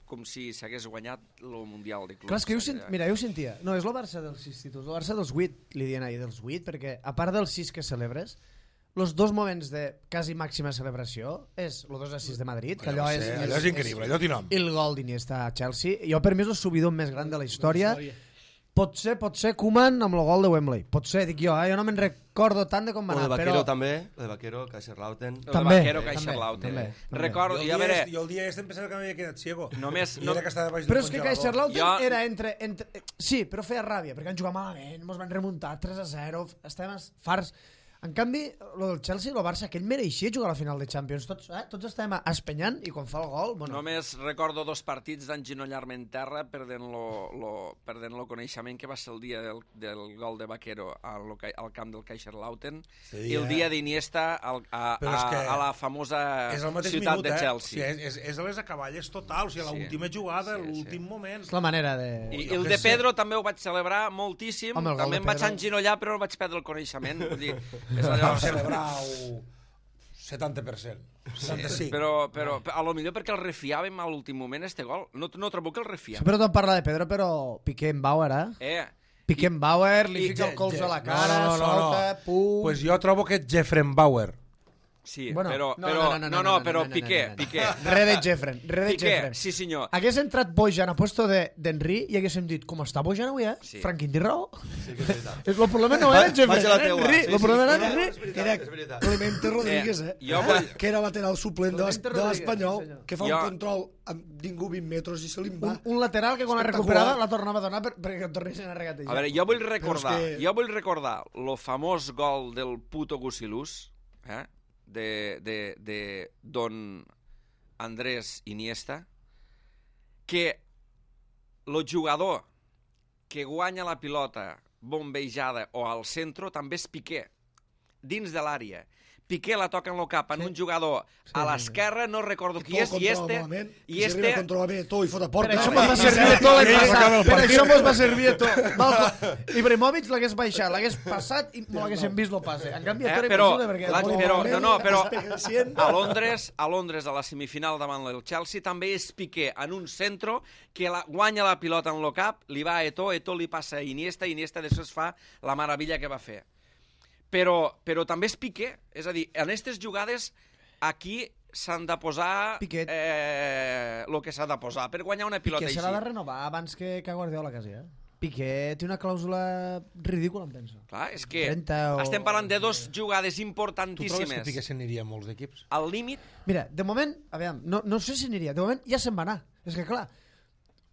com si s'hagués guanyat el Mundial de Clubs. Clar, és que jo, sent... Mira, jo ho sentia. No, és el Barça dels sis títols, el Barça dels vuit, li diuen ahir, dels vuit, perquè a part dels sis que celebres, els dos moments de quasi màxima celebració és el dos a sis de Madrid, que allò, va és, ser- allò és increïble, allò té nom. I el gol d'Iniesta a Chelsea. Jo, per mi, és el subidor més gran de la història. Pot ser, pot ser Koeman amb el gol de Wembley. Pot ser, dic jo, eh? Jo no me'n recordo tant de com va O de anar, Vaquero però... també, el de Vaquero, Kaiserslautern. El També, Vaquero també, Kaiserslautern. també, també. Recordo, Jo i el a dia, veure, est- jo el dia este em pensava que m'havia quedat ciego. només... I No, era que estava baix del Però és que congelador. Kaiserslautern Jo- era entre, entre... Sí, però feia ràbia, perquè van jugar malament, ens van remuntar tres a zero, estem farts. En canvi, lo del Chelsea i el Barça, que ell mereixia jugar a la final de Champions. Tots, eh? Tots estem espenyant i quan fa el gol... Bueno, Només recordo dos partits d'enginollar-me en terra perdent lo, lo, perdent lo coneixement que va ser el dia del, del gol de Vaquero al, loca- al camp del Kaiserslautern Sí, i el eh? dia d'Iniesta al- a, Però és a, que a la famosa És el mateix ciutat minut, de eh? Chelsea. O sigui, és, és, és a les acaballes total, o sigui, Sí. l'última jugada, Sí, sí. l'últim moment. és la manera de... I, Jo I el què de sé. Pedro també ho vaig celebrar moltíssim, Home, el gol també de em vaig Pedro. enginollar però no vaig perdre el coneixement. Vull dir, és Vam allò... celebrar el setanta per cent. setanta-cinc. Però, però a lo millor perquè el refiàvem a l'últim moment, este gol. No, no trobo que el Sí, refiàvem. però tot parla de Pedro, però Piqué-Bauer, eh? Eh, Piqué-Bauer, li i- fica el colze a la No, cara, no, no, no. solta, pum... Pues jo trobo que Jeffrenbauer. sí, Bueno, però, no, però, no, no, no, no, però no, no, Piqué, no, no, no. Piqué. Re de Jeffren, re de Piqué, Jeffren. sí senyor. Hagués entrat Bojan a puesto de- d'Henry i haguéssim dit, com està Bojan avui, eh? Sí. Franquín té raó. Sí que és veritat. El problema no era Jeffren, Vaig a la era teua. Henry. Sí, El sí, problema no, era no, Henry. és veritat, Era és veritat. Clemente Rodríguez, eh? jo vull- Que era lateral suplent de l'Es- Clemente de Rodríguez, l'Espanyol, sí, senyor. que fa Jo- un control amb ningú vint metres i se li en va. Un, un lateral que quan la Espectacular. recuperava la tornava a donar per, perquè et tornessin a regatejar. A veure, jo vull recordar, que- jo vull recordar lo famós gol del puto Gusilús, eh? de, de, de don Andrés Iniesta, que el jugador que guanya la pilota bombejada o al centre també és Piqué, dins de l'àrea. Piqué la toca en el cap en un jugador a l'esquerra, no recordo qui és, i este... I I este... este... controla bé tot i fot a porta. Per això mos va servir de tot l'any I ell passat. acaba el Per partit. això mos va servir de tot. Malcom. Ibrahimovic l'hagués baixat, l'hagués passat i no l'haguéssim vist lo passe. En canvi, Eh, tot era però, impossible perquè... la, el però, no, no, però Especient. a Londres, a Londres, a la semifinal davant el Chelsea, també és Piqué en un centre que la, guanya la pilota en el cap, li va a Eto'o, Eto'o li passa a Iniesta, Iniesta després fa la meravella que va fer. Però, però també és Piqué, és a dir, en aquestes jugades aquí s'han de posar Piquet. eh, el que s'ha de posar per guanyar una pilota Piqué així. serà de renovar abans que, que Guardiola quasi, eh? Piqué té una clàusula ridícula, em penso. Clar, és que trenta o- estem parlant de dos jugades Tu trobes que importantíssimes. Piqué se n'aniria a molts equips? Al límit, Mira, de moment, aviam, no, no sé si aniria, de moment ja se'n va anar. És que clar,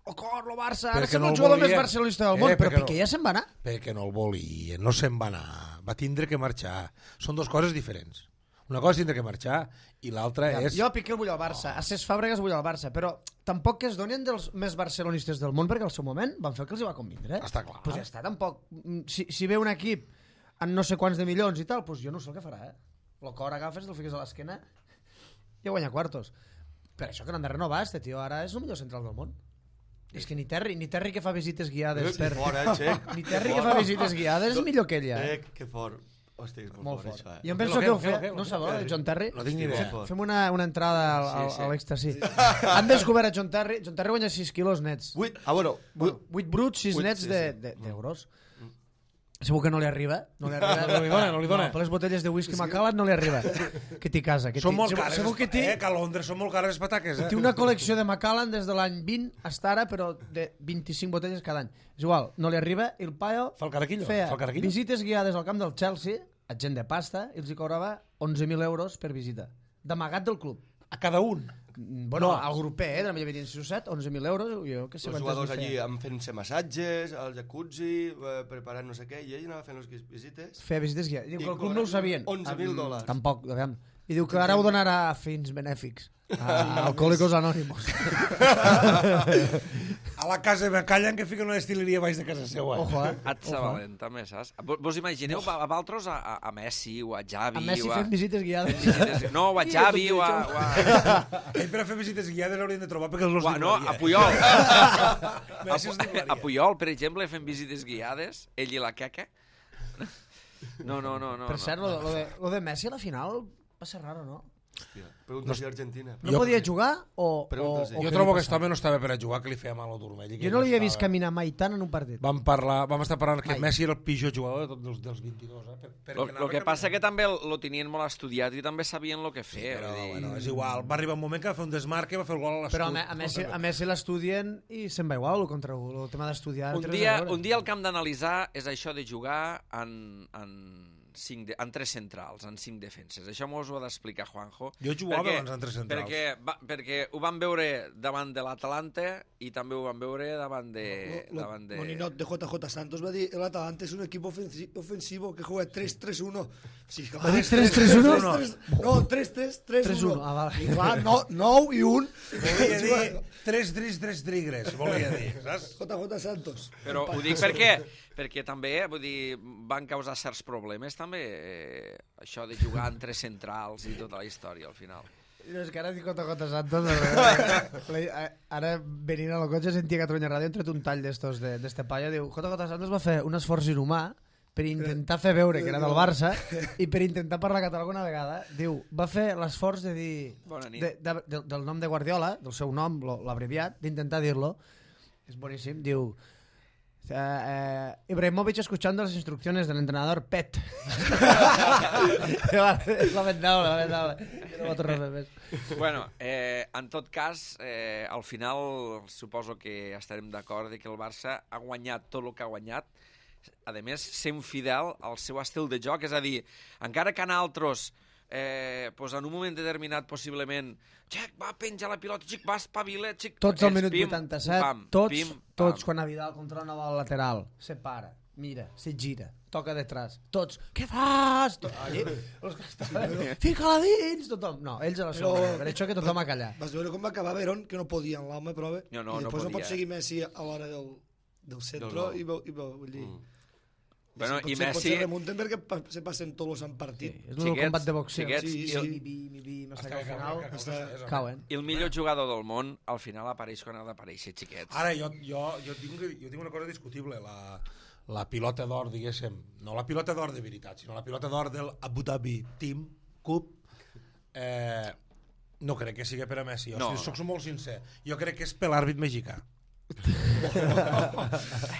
o cor, lo Barça, ara Perquè sembla no el el jugador més volien. barcelonista del Eh, món, però perquè no. Piqué ja se'n va anar. Perquè no el volia, no se'n va anar, va tindre que marxar. Són dues coses diferents. Una cosa és tindre que marxar i l'altra Aviam, és... Jo a Piqué el vull al Barça, a Cesc Fàbregas vull al Barça, però tampoc que es donin dels més barcelonistes del món, perquè al seu moment van fer el que els hi va convindre. Està clar. Pues ja està, tampoc. Mm, Si, si ve un equip amb no sé quants de milions i tal, pues jo no sé el que farà, eh? El cor agafes, el fiques a l'esquena i guanya quartos. Per això que no han de renovar, este tio ara és el millor central del món. És que ni Terry, ni Terry que fa visites guiades per... Fort, eh, Xec? Ni Terry que fa visites guiades és millor que ella. Eh? Xec, que fort. Hòstia, és molt, Molt fort, fort. això, eh? Jo em penso Què, que ho què, fe... què, què, No què? sabeu, de John Terry? No tinc ni Molt idea. fort. Fem una, una entrada al, al, Sí, sí. a l'èxtasi. Han descobert a John Terry. John Terry guanya sis quilos nets. Vuit, ah, bueno, vuit, vuit bruts, sis Vuit, nets sí, de- sí. de- d'euros. Segur que no li arriba. No li arriba. No li dona, no li dona. No, per les botelles de whisky Macallan no li arriba. Que t'hi casa. Que Són t'hi- molt segur- cares, Segur que té, eh, que a Londres són molt cares les pataques, eh? té una col·lecció de Macallan des de l'any vint hasta ara, però de vint-i-cinc botelles cada any. És igual, no li arriba. I el paio Fa el caraquillo, feia fa el caraquillo. visites guiades al camp del Chelsea, a gent de pasta, i els hi cobrava onze mil euros per visita. d'amagat del club. A cada un. Bueno, no. Al grupet, eh, millor venien sis o set, onze mil euros, jo que sé Els quantes jugadors en allí feia. amb fent-se massatges, al jacuzzi, eh, preparant no sé què, i ell anava fent les visites. Feia visites guiades. Diu I que el club no ho sabien. onze mil dòlars. Tampoc, aviam. I diu que ara ho donarà a fins benèfics. A Alcohòlicos Anònimos. A la casa de callen que fiquen una destileria baix de casa seva. Ojo, eh? Atza valent, també, saps? Vos vos imagineu a, a Valtros a, a, a Messi o a Xavi A Messi o a... fent visites guiades. visites... No, o a Xavi o a... O a... Ell per a fer visites guiades haurien de trobar perquè els los Ua, no, a diplomaria. Puyol. Messi els a, diplomaria. a Puyol, per exemple, fent visites guiades, ell i la queca. No, no, no. no Per cert, no. lo, lo, de, lo de Messi a la final va ser raro, no? Hòstia, pregunta si Argentina. No Jo- podia jugar o... o, Pregunta'ls o Jo què trobo li que aquest passava? home no estava per a jugar, que li feia mal al turmell. i que Jo no ell l'havia vist estava- caminar mai tant en un partit. Vam, parlar, vam estar parlant que Mai. Messi era el pitjor jugador de tots dels, dels vint-i-dos. Eh? Per, perquè Lo, anava lo que caminant. passa que també lo tenien molt estudiat i també sabien el que Sí, fer. però vull dir... bueno, és igual. Va arribar un moment que va fer un desmarque, va fer el gol a l'escut. Però a, Me- a, Messi, a Messi l'estudien i se'n va igual el contra un. El tema d'estudiar... Un no té res dia, a veure. un dia el que hem d'analitzar és això de jugar en, en, cinc de, en tres centrals, en cinc defenses. Això mos ho ha d'explicar Juanjo. Jo jugava abans en tres centrals. Perquè, va, perquè ho van veure davant de l'Atalanta i també ho van veure davant de... Lo- lo- davant de... Moninot de J J Santos va dir el Atalanta es un equipo ofensi- ofensivo que juega tres tres uno. Sí, Ah, tres tres uno? No, tres tres tres uno. Ah, vale. I clar, no, nou i un. Volia dir tres dris, tres trigres, volia dir, saps? J J Santos. Però ho dic perquè, perquè també, vull dir, van causar certs problemes també, eh, això de jugar en tres centrals i tota la història al final. No, és que ara dic J J Santos, la- ara venint al cotxe sentia Catalunya Ràdio, hem tret un tall d'estos de- d'este paio, diu, J J Santos va fer un esforç inhumà per intentar fer veure que era del Barça i per intentar parlar català alguna vegada. Diu, va fer l'esforç de dir Bona nit. de, de, de, del nom de Guardiola, del seu nom, lo- l'abreviat, d'intentar dir-lo. És boníssim, diu eh, eh, Ibrahimovic escuchando las instrucciones del entrenador Pet. És lamentable, lamentable. Jo no ho torno a fer més. Bueno, eh, en tot cas, eh, al final suposo que estarem d'acord de que el Barça ha guanyat tot el que ha guanyat, a més, sent fidel al seu estil de joc, és a dir, encara que en altres, eh, pues en un moment determinat, possiblement, xic, va, penja la pilota, xic, va, espavila, xic... Tots al ells, minut pim, vuitanta-set, pam, tots, pim, pam. tots quan a Vidal controla una bola lateral, se para, mira, se gira, toca detrás, tots, què fas? Tot, allí, els que estaven, fica-la dins, tothom. No, ells a la Però- segona, per això que tothom a callar. Vas veure com va acabar Verón, que no podia en l'home prova, No, no, i no després no, podia. pot seguir Messi a l'hora del, del centre gol. i, veu, i veu, vull dir... Mm. Bueno, potser, i Messi- potser remunten perquè pa, se passen tots els han Sí, partit. és un Xiquets, combat de boxeo. xiquets, Sí, i sí. el- Mi, mi, mi, mi, hasta que Hasta al que final cauen, que Hasta- coses, cauen. I el millor jugador del món, al final apareix quan ha d'aparèixer, xiquets. Ara, jo, jo, jo, tinc, jo tinc una cosa discutible, la, la pilota d'or, diguéssim, no la pilota d'or de veritat, sinó la pilota d'or del Abu Dhabi Team Cup, eh, no crec que sigui per a Messi. O No, sigui, no. soc molt sincer. Jo crec que és per l'àrbit mexicà.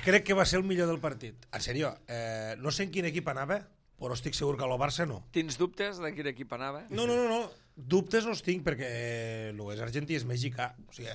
Crec que va ser el millor del partit. En sèrio, eh, no sé en quin equip anava, però estic segur que a lo Barça no. Tens dubtes de quin equip anava? No, no, no, no. Dubtes no els tinc perquè el és argentí, és mexicà. O sigui,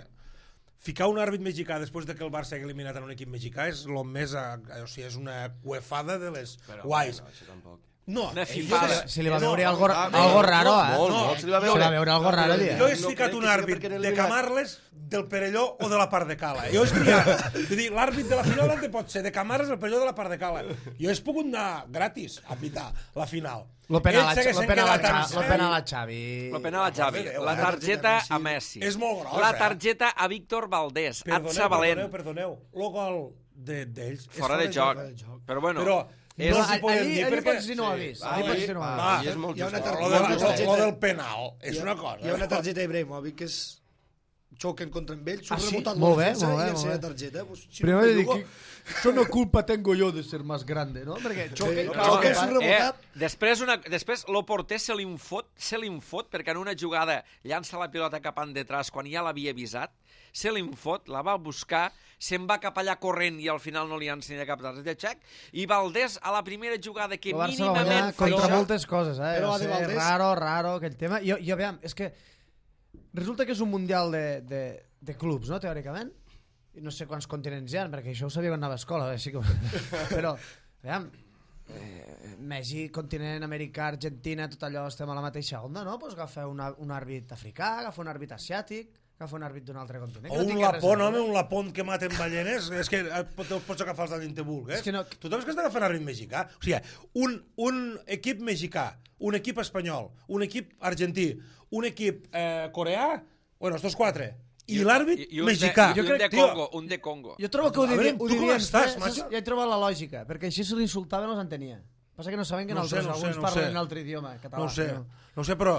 ficar un àrbit mexicà després de que el Barça hagi eliminat en un equip mexicà és lo més a, o sigui, és una cuefada de les Però, guais. bueno, això tampoc. No, Una ells- fifada. Se li va no, veure algo, ah, algo no, raro, eh? molt, No, molt, se li va Se li veure. va veure algo raro, jo dia. he No explicat crec un que sigui àrbit perquè en el de ligat- Camarles, del Perelló o de la part de Cala. Jo he espiat. Vull dir, l'àrbit de la final on pot ser de Camarles, del Perelló o de la part de Cala. Jo he pogut anar gratis a pitar la final. Lo penal a, Ells s'haguessin lo penal a, quedat amb Xa- lo set. penal a Xavi. La penal a Xavi, Déu, la eh? targeta a Messi, És molt gros, la eh? targeta a Víctor Valdés, Perdoneu, Atza Valent, perdoneu, perdoneu. El gol de- d'ells és fora de joc. fora de joc. Però bueno, Però és, no els hi podem allí, dir allí perquè... pots dir no ho ha vist. Ah, Allí pots sí? dir no ho ha Ah, vist. i és molt Hi ha una just. tar- Lo, hi ha de, una lo, targeta- lo del penal és hi ha- una cosa. Hi ha una targeta d'Ibrahimovic que és xoquen contra amb ell, Ah, surt sí? remuntant Molt la bé, defensa molt bé, i molt ensenya bé. targeta. Pues, si Primero no, de dir Lugo, que eso no culpa tengo yo de ser más grande, no? Perquè xoque, Sí, xoque, xoque, pa- és un eh, rebotat. després, una, després lo porter se li fot, se li fot perquè en una jugada llança la pilota cap en detrás quan ja l'havia avisat, se li fot, la va buscar, se'n va cap allà corrent i al final no li ensenya cap targeta de xec, i Valdés a la primera jugada que El Barça va guanyar mínimament fa contra això, moltes coses, eh? Però Va la de ser Valdés- raro, raro, aquell tema. Jo, jo aviam, és que resulta que és un mundial de, de, de clubs, no?, teòricament. I no sé quants continents hi ha, perquè això ho sabia quan anava a escola, eh? Sí que... però, aviam, eh, Mèxic, continent americà, Argentina, tot allò estem a la mateixa onda, no? Pues agafa una, un àrbit africà, agafa un àrbit asiàtic, agafa un àrbit d'un altre continent. O un lapón, home, un lapón que maten ballenes, és que te'l pots agafar els d'Alin Tebulk, eh? És que no... Tothom és que has d'agafar un àrbit mexicà. O sigui, un, un equip mexicà, un equip espanyol, un equip argentí, un equip eh, coreà, bueno, estos quatre, i l'àrbit mexicà. I un de Congo, un de Congo. Jo trobo que ho Veure, devien, ho tu com devien estàs, fer, macho? ja he trobat la lògica, perquè així se l'insultaven i els entenia. Passa que no saben que No no sé, nosaltres no sé, alguns no parlen sé. un altre idioma, català. No ho sé, no? no ho sé, però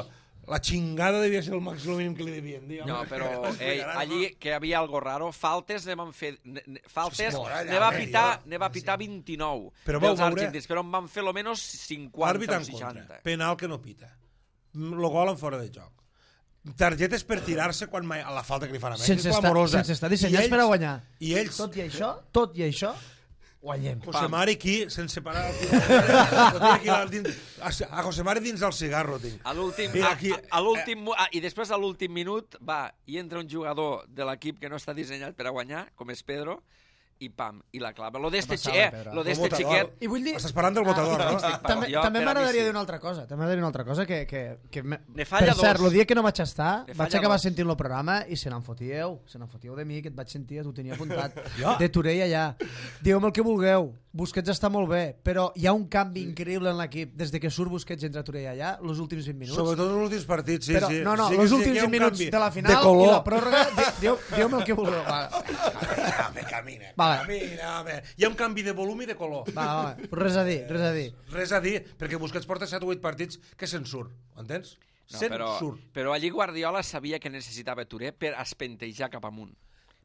la xingada devia ser el màxim mínim que li devien dir. No, home. però Ens ell, explicaran, allí no? que hi havia algo raro, faltes ne van fer... Ne, ne, faltes És mort, allà, ne va home, pitar, jo. ne va pitar vint-i-nou Però vau dels veure- argentins, però en van fer lo menos Àrbit cinquanta o en contra, seixanta. penal que no pita. Lo gol en fora de joc. Targetes per tirar-se quan mai, a la falta que li fan a Mèxic, Sense és estar, clamorosa. sense estar dissenyats I per a guanyar. I ells, Tot i això, tot i això, guanyem. José Mari aquí, sense parar... Lo tinc aquí al dins, a, a José Mari dins del cigarro, tinc. A l'últim, Mira, a, aquí- a, a l'últim, mu- ah, i després a l'últim minut va i entra un jugador de l'equip que no està dissenyat per a guanyar, com és Pedro, i pam, i la clava. Lo d'este passada, xi- eh, Pedro. lo El d'este botador. xiquet... I vull dir... Estàs parlant del botador, no? Estic També, jo, també per a mi m'agradaria sí. dir una altra cosa. També m'agradaria dir una altra cosa que... que, que me... Ne falla per cert, dos. el dia que no vaig estar, Ne vaig falla acabar dos. sentint el programa i se n'enfotíeu. Se n'enfotíeu de mi, que et vaig sentir, t'ho tenia apuntat. Jo? De Torell allà. Dieu-me el que vulgueu. Busquets està molt bé, però hi ha un canvi increïble en l'equip des de que surt Busquets i entra Torell allà, els últims vint minuts. Sobretot els últims partits, sí, però, sí. no, no, sí, els sí, últims hi ha vint un minuts canvi de la de final i color. la pròrroga, di- dieu- dieu-me el que vulgueu. Va, Camina, camina, Vale. camina, home. Hi ha un canvi de volum i de color. va, va, però res a dir, res a dir. Res a dir, perquè Busquets porta set o vuit partits que se'n surt, entens? No, Se'n però, surt. però allí Guardiola sabia que necessitava Touré per espentejar cap amunt.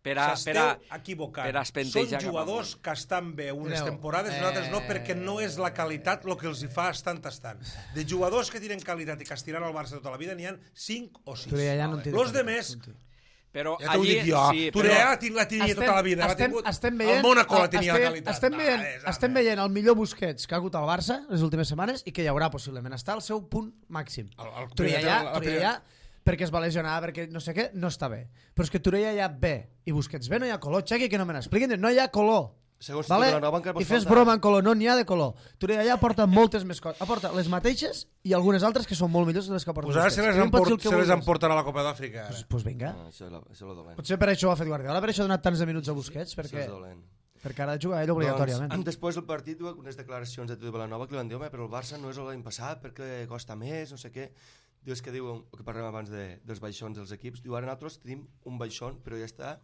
Per a, per S'esteu a, equivocant. per a espentejar Són cap jugadors amunt. que estan bé unes Mireu, temporades i nosaltres no, eh, perquè no és la qualitat el que els hi fa estant tastant. De jugadors que tenen qualitat i que estiran al Barça tota la vida n'hi ha cinc o sis. Torell allà no en té Los de de qualitat, més, no en té. Però ja t'ho allí, dic jo, sí, Touré però, la tin- la tenia tota la vida. l'ha estem, tingut. estem veient, El Mónaco la el- tenia estem, la qualitat. estem, veient, Va, és, estem home. veient el millor Busquets que ha hagut al Barça les últimes setmanes i que hi haurà possiblement està al seu punt màxim. El- el Torell primer- allà, la Torell primera- allà perquè es va lesionar, perquè no sé què, no està bé. Però és que Torell allà bé i Busquets bé, no hi ha color. Xaqui, que no me n'expliquin, no hi ha color. Segons Vale? tu, Vilanova encara pot I fes faltar. broma en color, no n'hi ha de color. Torell allà aporta moltes més coses. Aporta les mateixes i algunes altres que són molt millors que les que aporta Pues ara se les, Que em pots dir el emport, que se les vulguis. emportarà a la Copa d'Àfrica. Pues, pues vinga. Ah, això, és la- això és el dolent. Potser per això ho ha fet Guardiola, per això ha donat tants de minuts a Busquets, Això perquè, és dolent. perquè ara ha de jugar ell obligatòriament. Doncs, després del partit, diu unes declaracions de Tito Vilanova que li van dir, home, però el Barça no és l'any passat perquè costa més, no sé què. Diu, és que diu, el que parlem abans de, dels baixons dels equips, diu, ara nosaltres tenim un baixón, però ja està,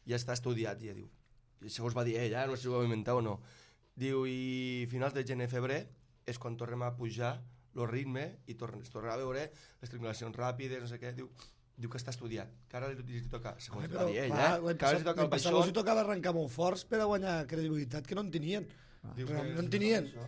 ja està estudiat, ja diu. I això us va dir ell, eh? No sé si ho va inventar o no. Diu, i finals de gener, febrer, és quan tornem a pujar el ritme i tornem, es tornarà a veure les triangulacions ràpides, no sé què, diu, diu que està estudiat, que ara li, li toca, segons va dir ell, eh? Que ara li toca el passat baixón. els hi tocava arrencar molt forts per a guanyar credibilitat que no en tenien. Diu que Realment no en és tenien. això.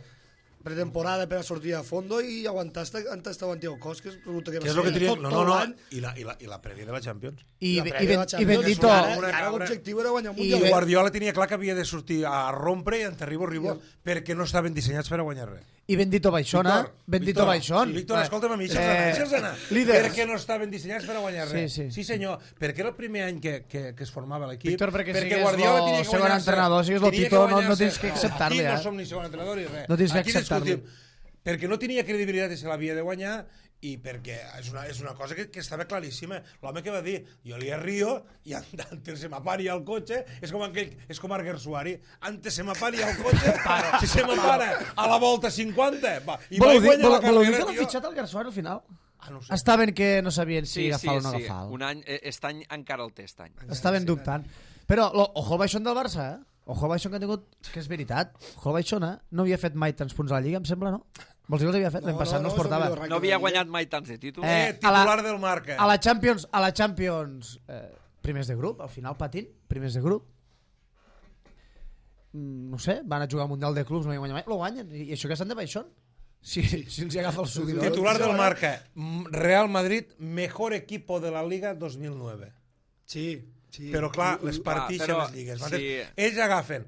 Pretemporada per a sortir a fondo i aguantar hasta, hasta aguantar el cos, que resulta que va Què és ser el que tenien? tot, No, tot no, no. l'any. I la, i, la, I la prèvia de la Champions. I, La i, prèvia i, de la i Champions, Bendito, i ara, Una i ara cabra. l'objectiu era guanyar un I I mundial. bé- Guardiola tenia clar que havia de sortir a rompre i en terrible horrible perquè no estaven dissenyats per a guanyar res. i Bendito Baixona. Víctor, Bendito Víctor, Baixón. sí, Víctor, Va. escolta'm a mi, Eh, deixa'ls anar, líders. perquè no estaven dissenyats per a guanyar res. Sí, sí. sí senyor, perquè era el primer any que, que, que es formava l'equip. Víctor, perquè sigues Guardiola lo tenia que segon guanyar-se- entrenador, sigues lo tenia que Tito, no- no guanyar-se- tens que acceptar-li, Aquí eh? no som ni segon entrenador ni res. No tens que Aquí acceptar-li. discutim. Perquè no tenia credibilitat i se l'havia de guanyar i perquè és una, és una cosa que, que estava claríssima. L'home que va dir, jo li arrio i antes se m'apari al cotxe, és com aquell, és com Arguer Suari, antes se m'apari al cotxe, si se m'apara a la volta cinquanta, va, i Voleu vaig dir, guanyar voleu, la voleu dir carrera, que l'ha tio. fitxat el Garçon al final? Ah, no ho sé. Estaven que no sabien si sí, sí, agafar o no sí. agafar. Un any, eh, aquest any encara el té, aquest any. Estaven dubtant. Però, lo, ojo al Baixón del Barça, eh? Ojo al Baixón que ha tingut, que és veritat. Ojo al Baixón, eh? No havia fet mai tants punts a la Lliga, em sembla, no? Vols dir que els havia fet? L'any passat no, no, els portava. és el millor No havia guanyat mai tants de títols. Eh, Eh, titular del Marca. A la Champions, a la Champions eh, primers de grup, al final patint, primers de grup. Mm, no sé, van a jugar al Mundial de Clubs, no hi guanyen mai, lo guanyen. I, i això que estan de Baixón? Si, si els hi agafa el subidor. Titular del Marca, M- Real Madrid, mejor equipo de la Liga dos mil nueve. Sí, sí. Però clar, I- les i- partixen però, les lligues. sí. Sí. Ells agafen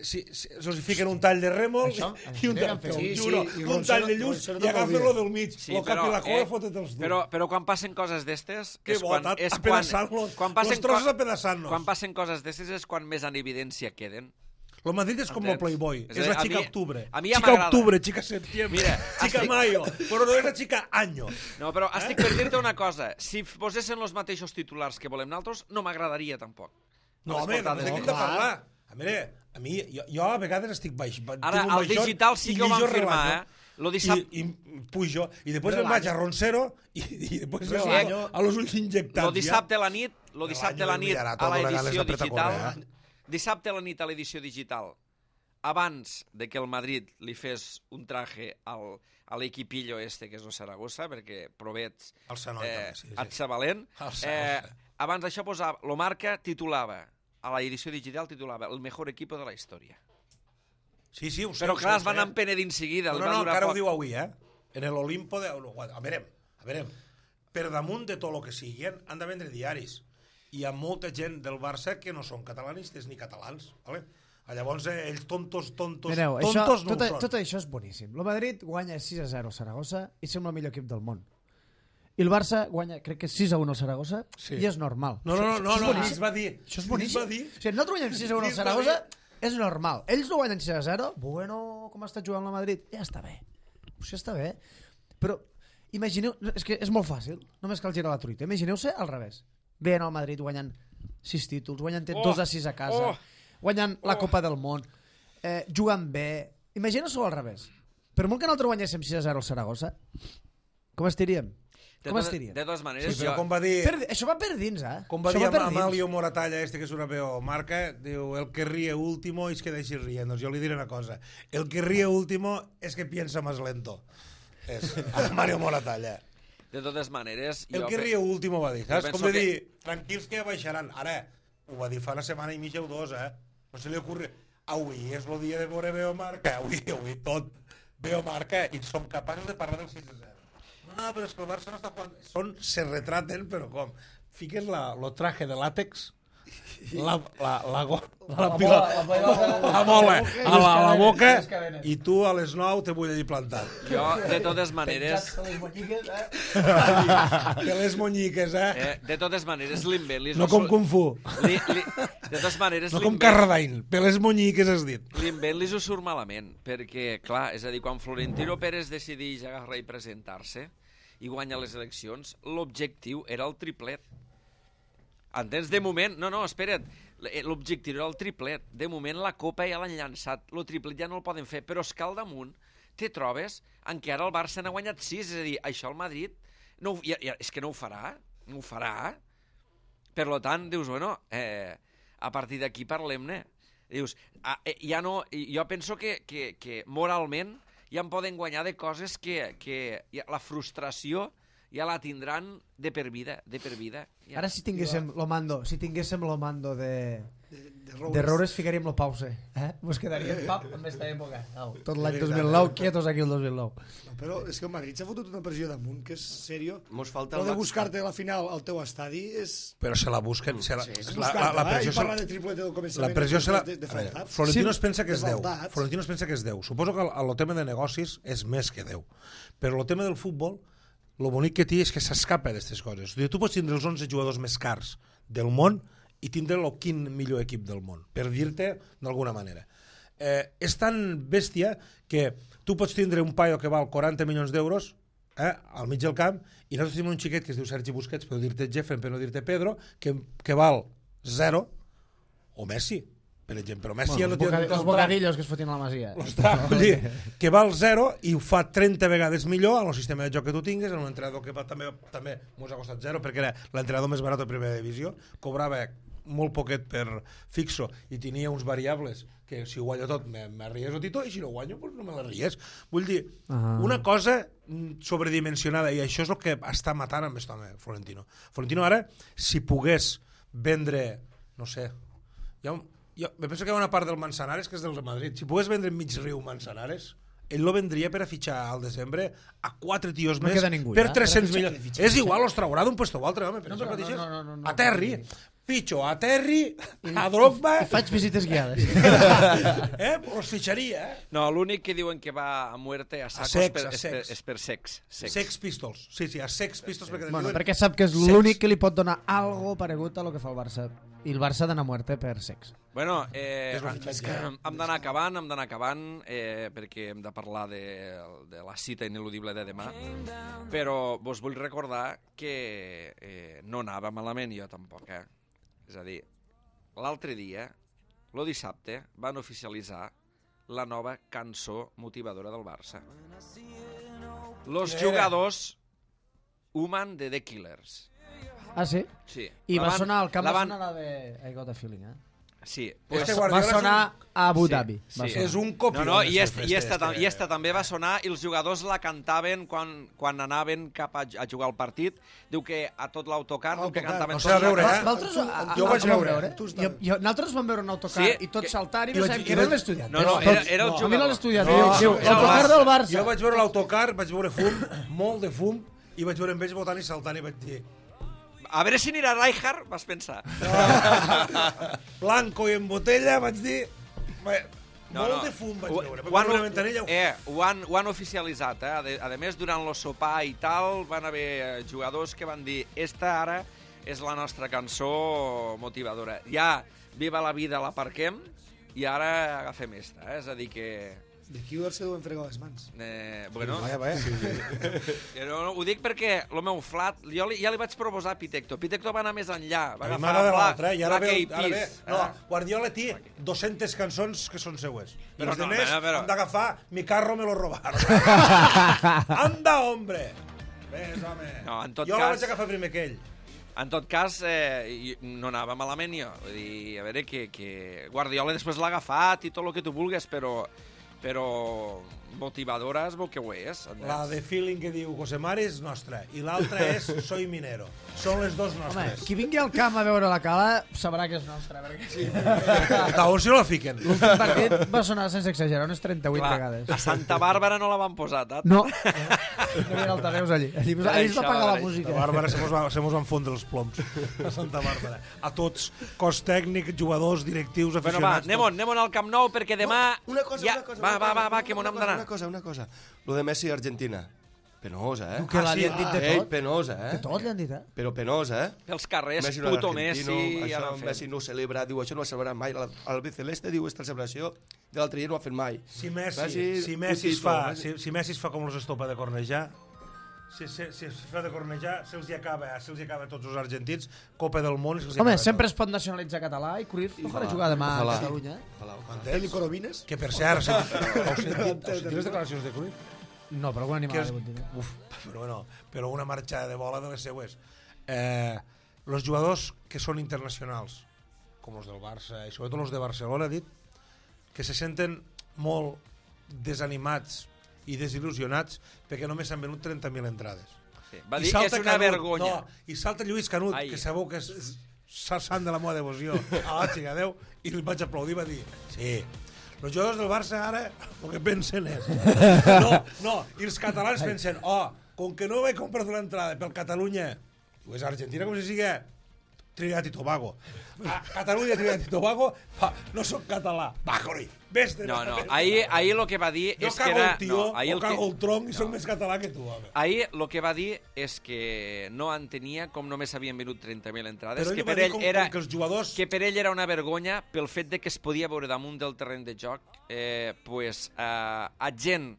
si, si, se'ls fiquen un tall de rèmol Això, i un, això tall, que han fet. sí, Sí, juro, sí, i un Ronchero- tall de lluç Ronchero i també agafen ho lo havia. del mig, Sí, lo cap i la cua eh, i fotet-los dur. però, però quan passen coses d'estes... Que és quan, botat, és quan, apedaçant-los, quan passen los trossos co- apedaçant-nos. Quan passen coses d'estes és quan més en evidència queden. El Madrid és com el Playboy, és, és la xica mi, octubre. A mi ja xica m'agrada. octubre, xica septiembre, Mira, xica estic... mayo, però no és la xica año. No, però estic per dir-te una cosa. Si posessin els mateixos titulars que volem nosaltres, no m'agradaria tampoc. No, home, no hem de parlar. A veure, a mi, jo, jo a vegades estic baix. Ara, al digital sí que ho vam firmar, eh? Lo dissabte... I, i pujo, i després me'n vaig a Roncero i, i després me vaig a los ulls injectats. Lo dissabte a la nit, lo dissabte a la nit a l'edició digital, dissabte a la nit a l'edició digital, abans de que el Madrid li fes un traje al, a l'equipillo este, que és el Saragossa, perquè provets el Sanoi, eh, també, sí, sí. et sabalent, eh, abans d'això posava, lo Marca titulava, a l'edició digital titulava el mejor equipo de la història. Sí, sí, ho sé. Però clar, es van empenedint seguida. No, no, no, encara ho diu avui, eh? En l'Olimpo de... A veure, a veure, per damunt de tot el que siguin, han de vendre diaris. Hi ha molta gent del Barça que no són catalanistes ni catalans, ¿vale? Llavors, eh, ells tontos, tontos, Mireu, tontos això, no tot, ho són. tot això és boníssim. El Madrid guanya sis a zero al Saragossa i sembla el millor equip del món. I el Barça guanya, crec que sis a un al Saragossa, sí. I és normal. No, no, no, no, no, no es va dir. Això és boníssim. Dir. O sigui, nosaltres guanyem sis a un al Saragossa, és normal. Ells no guanyen sis a zero, bueno, com està jugant el Madrid, ja està bé. Això està bé. Però imagineu, és que és molt fàcil, només cal girar la truita. Imagineu-se al revés. Veien al Madrid guanyant sis títols, guanyant oh, dos a sis a casa, oh, guanyant la oh. Copa del Món, eh, jugant bé. Imagineu-s'ho al revés. Per molt que nosaltres guanyéssim sis a zero al Saragossa, com estiríem? De, com estiríem? De totes maneres, sí, jo... com va dir... Per, això va per dins, eh? Com va dir Amalio Moratalla, este que és una veu marca, diu, el que ríe último es que deixi riendo. Jo li diré una cosa. El que ríe último es que piensa más lento. És Amalio Moratalla. De totes maneres... El jo que ríe último va dir, saps? Com de que... dir, tranquils que baixaran. Ara, ho va dir fa una setmana i mitja o dos, eh? No se li ocorre... Avui és el dia de veure Veo Marca, avui, avui tot Veo Marca i som capaços de parlar del sis a zero. No, però és que el Barça no està jugant... Són, se retraten, però com? Fiques la, lo traje de làtex, la, la, la, la, la, pila, la bola a la, a la boca i tu a les nou te vull allí plantat. Jo, de totes maneres... Que les monyiques, eh? eh de totes maneres, l'invent... No com Kung Fu. Li, li, de totes maneres... No com Carradine, per les monyiques has dit. L'invent li ho surt malament, perquè, clar, és a dir, quan Florentino Pérez decideix agarrar i presentar-se i guanya les eleccions, l'objectiu era el triplet. Entens? De moment... No, no, espera't. L'objectiu era el triplet. De moment la Copa ja l'han llançat. El triplet ja no el poden fer. Però és que al damunt te trobes en què ara el Barça n'ha guanyat sis. És a dir, això el Madrid... No, ja, ja, és que no ho farà. No ho farà. Per tant, dius, bueno, eh, a partir d'aquí parlem-ne. Dius, ah, eh, ja no... Jo penso que, que, que moralment ja en poden guanyar de coses que, que ja, la frustració ja la tindran de per vida, de per vida. Ja. Ara si tinguéssim lo mando, si tinguéssim lo mando de de, de, de Roures ficaríem lo pause, eh? Mos quedaríem pap amb esta època. Au, tot l'any dos mil nou, quietos aquí el dos mil nou. No, però és que el Madrid s'ha fotut una pressió damunt, que és sèrio. Mos falta el de buscar-te la final al teu estadi és... Però se la busquen... Se la, sí, és la, la, la pressió i parlar de triplete del començament. La pressió se la... De, de veure, Florentino sí, es pensa que és deu. Faltats. Florentino es pensa que és deu. Suposo que el, el tema de negocis és més que deu. Però el tema del futbol, el bonic que té és que s'escapa d'aquestes coses. Tu pots tindre els onze jugadors més cars del món i tindre el quin millor equip del món, per dir-te d'alguna manera. Eh, és tan bèstia que tu pots tindre un paio que val quaranta milions d'euros eh, al mig del camp i nosaltres tenim un xiquet que es diu Sergi Busquets, per dir-te Jefren, per no dir-te Pedro, que, que val zero, o Messi, per exemple. Però Messi bueno, ja no té... Els bocadillos que es fotin a la Masia. Dir, que val zero i ho fa trenta vegades millor en el sistema de joc que tu tingues, en un entrenador que va, també, també mos ha costat zero, perquè era l'entrenador més barat de primera divisió, cobrava molt poquet per fixo i tenia uns variables que si ho guanyo tot me, me ries o tito i si no ho guanyo pues no me la ries. Vull dir, uh-huh. una cosa sobredimensionada i això és el que està matant amb aquest home, Florentino. Florentino ara, si pogués vendre, no sé, hi ha un, jo, me penso que hi ha una part del Manzanares que és del Real Madrid, si pogués vendre mig riu Manzanares, ell lo vendria per a fitxar al desembre a quatre tios no més ningú, per ja? tres-cents milions. És igual, els traurà d'un puesto o altre, home, per no, això no, mateixes. no, no, no, no, Aterri. no, no. fitxo a Terry, a Drogba... I faig visites guiades. eh? Los fitxaria, eh? No, l'únic que diuen que va a muerte, a sacos, sex, per, a és, per, sex. és per sex. Sex. Sex Pistols. Sí, sí, a Sex Pistols, perquè Bueno, diuen... perquè sap que és Sex. l'únic que li pot donar algo paregut a lo que fa el Barça. I el Barça d'anar a muerte per sex. Bueno, eh, És lo fitxatge. hem d'anar acabant, hem d'anar acabant, eh, perquè hem de parlar de, de la cita ineludible de demà, però vos vull recordar que eh, no anava malament jo tampoc, eh? És a dir, l'altre dia, el dissabte, van oficialitzar la nova cançó motivadora del Barça. Los Quina era? jugadors Human de The Killers. Ah, sí? Sí. I La va van- sonar, al camp la va van- sonar la de I Got a Feeling, eh? Sí. Pues Pues, Este Va Guardiola és sonar a Abu Sí, Dhabi. sí. Va sonar. És un copió. No, no, i, de est, i, esta, este. i esta també va sonar i els jugadors la cantaven quan, quan anaven cap a, a jugar al partit. Diu que a tot l'autocar diu que Autocar. cantaven No sé, a tots la veure, cançó. eh? Nosaltres, Tu- a- a- jo ho vaig com ho veure. vau Tu Jo, estaves. jo, nosaltres vam veure un autocar Sí, i tots que- saltant i i no vaig- sabem i que era vaig- l'estudiant. No, no, Tots- era, era el A mi jugador. no l'estudiant, No, diu, no, diu, no, autocar no, del Barça. Jo vaig veure l'autocar, vaig veure fum, molt de fum, i vaig veure amb ells votant i saltant i vaig dir A veure si anirà Rijkaard, vas pensar. blanco i en botella, vaig dir... Bé, No, molt no. de fum vaig Ho- veure. ho Vaig han- veure una ventanella... Eh, ho han, ho han oficialitzat, eh? A, de, a més, durant el sopar i tal, van haver jugadors que van dir esta ara és la nostra cançó motivadora. Ja, viva la vida, la parquem, i ara agafem esta, eh? És a dir que... De qui se deuen fregar les mans. Eh, bueno, Vaja, vaja. eh, no, no, ho dic perquè el meu flat, jo li, ja li vaig proposar a Pitecto. Pitecto va anar més enllà, va A mi agafar m'agrada Black- l'altre, eh? I ara Black ve, Eyed ara ve... Peas, No, eh? Guardiola té dues-centes cançons que són seues. I Però els no, demés però- però- han d'agafar Mi carro me lo robaron. Anda, hombre! Ves, home. No, en tot jo la cas- vaig agafar primer que ell. En tot cas, eh, i- no anava malament jo. Vull dir, a veure, que, que Guardiola després l'ha agafat i tot el que tu vulguis, però, però motivadora es veu que ho és. entens? La de feeling que diu José Mari és nostra i l'altra és Soy minero. Són les dos Home, nostres. qui vingui al camp a veure la cala sabrà que és nostra. Perquè sí. D'on si no la fiquen? L'últim partit va sonar, sense exagerar, unes trenta-vuit Clar, vegades. a Santa Bàrbara no la van posar, tat? No, no hi havia altaveus allí. Allí, allí es va pagar la música. A Bàrbara se mos, va, se mos van fondre els ploms a Santa Bàrbara. A tots, cos tècnic, jugadors, directius, Bueno, va, aficionats... anem-on, anem-on al Camp Nou, perquè demà... Una cosa, ja... una cosa. Va, una va, cosa, va, va, una que m'on hem cosa, d'anar. Una cosa, una cosa. Lo de Messi i Argentina. Penosa, eh? Que Ah, l'han sí, dit de Ei, tot. penosa, eh? De tot li han dit, eh? Però penosa, eh? Pels carrers, Messi no puto era Messi... argentino, ja això l'han fet. Messi no ho celebra, diu, això no ho celebrarà mai, el, el Biceleste diu, esta celebració de l'altre dia no ho ha fet mai. Si Messi, Messi, si Messi es putito, fa, Messi. si, si Messi es fa com els estopa de cornejar, si, si, si es fa de cornejar, se'ls hi acaba, se'ls hi acaba a tots els argentins, Copa del Món, i se'ls hi Home, acaba sempre tot. es pot nacionalitzar català i Cruyff no farà Ojalà, jugar demà a ojalà. Catalunya. eh? Ojalà, ojalà. Entens? Eli Corobines? Que per cert, heu sentit, heu sentit, heu sentit les declaracions de Cruyff? No, però algun Que animal és, de continu. uf, però, bueno, però una marxa de bola de les seues. Eh, los jugadors que són internacionals, com els del Barça i sobretot els de Barcelona, ha dit que se senten molt desanimats i desil·lusionats perquè només s'han venut trenta mil entrades. Sí. Va I dir, salta és una Canut, vergonya. No, I salta Lluís Canut, Ai. que sabeu que és és sant de la meva devoció a la Xigadeu, i li vaig aplaudir, va dir, sí, els jugadors del Barça ara el que pensen és... No, no, i els catalans pensen, oh, com que no he comprat una entrada pel Catalunya, o és Argentina com si sigui Trinidad i Tobago. A Catalunya, Trinidad i Tobago, pa, no soc català. Va, Cruyff, vés de No, no, ahir, ahir el que va dir Jo és que cago era... el tio, no, ahir o el que... cago el tronc i soc més català que tu, home. Ahir el que va dir és que no entenia com només havien venut trenta mil entrades, Però ell que va per dir ell com, era... com que els jugadors... que per ell era una vergonya pel fet de que es podia veure damunt del terreny de joc eh, pues, eh, a gent,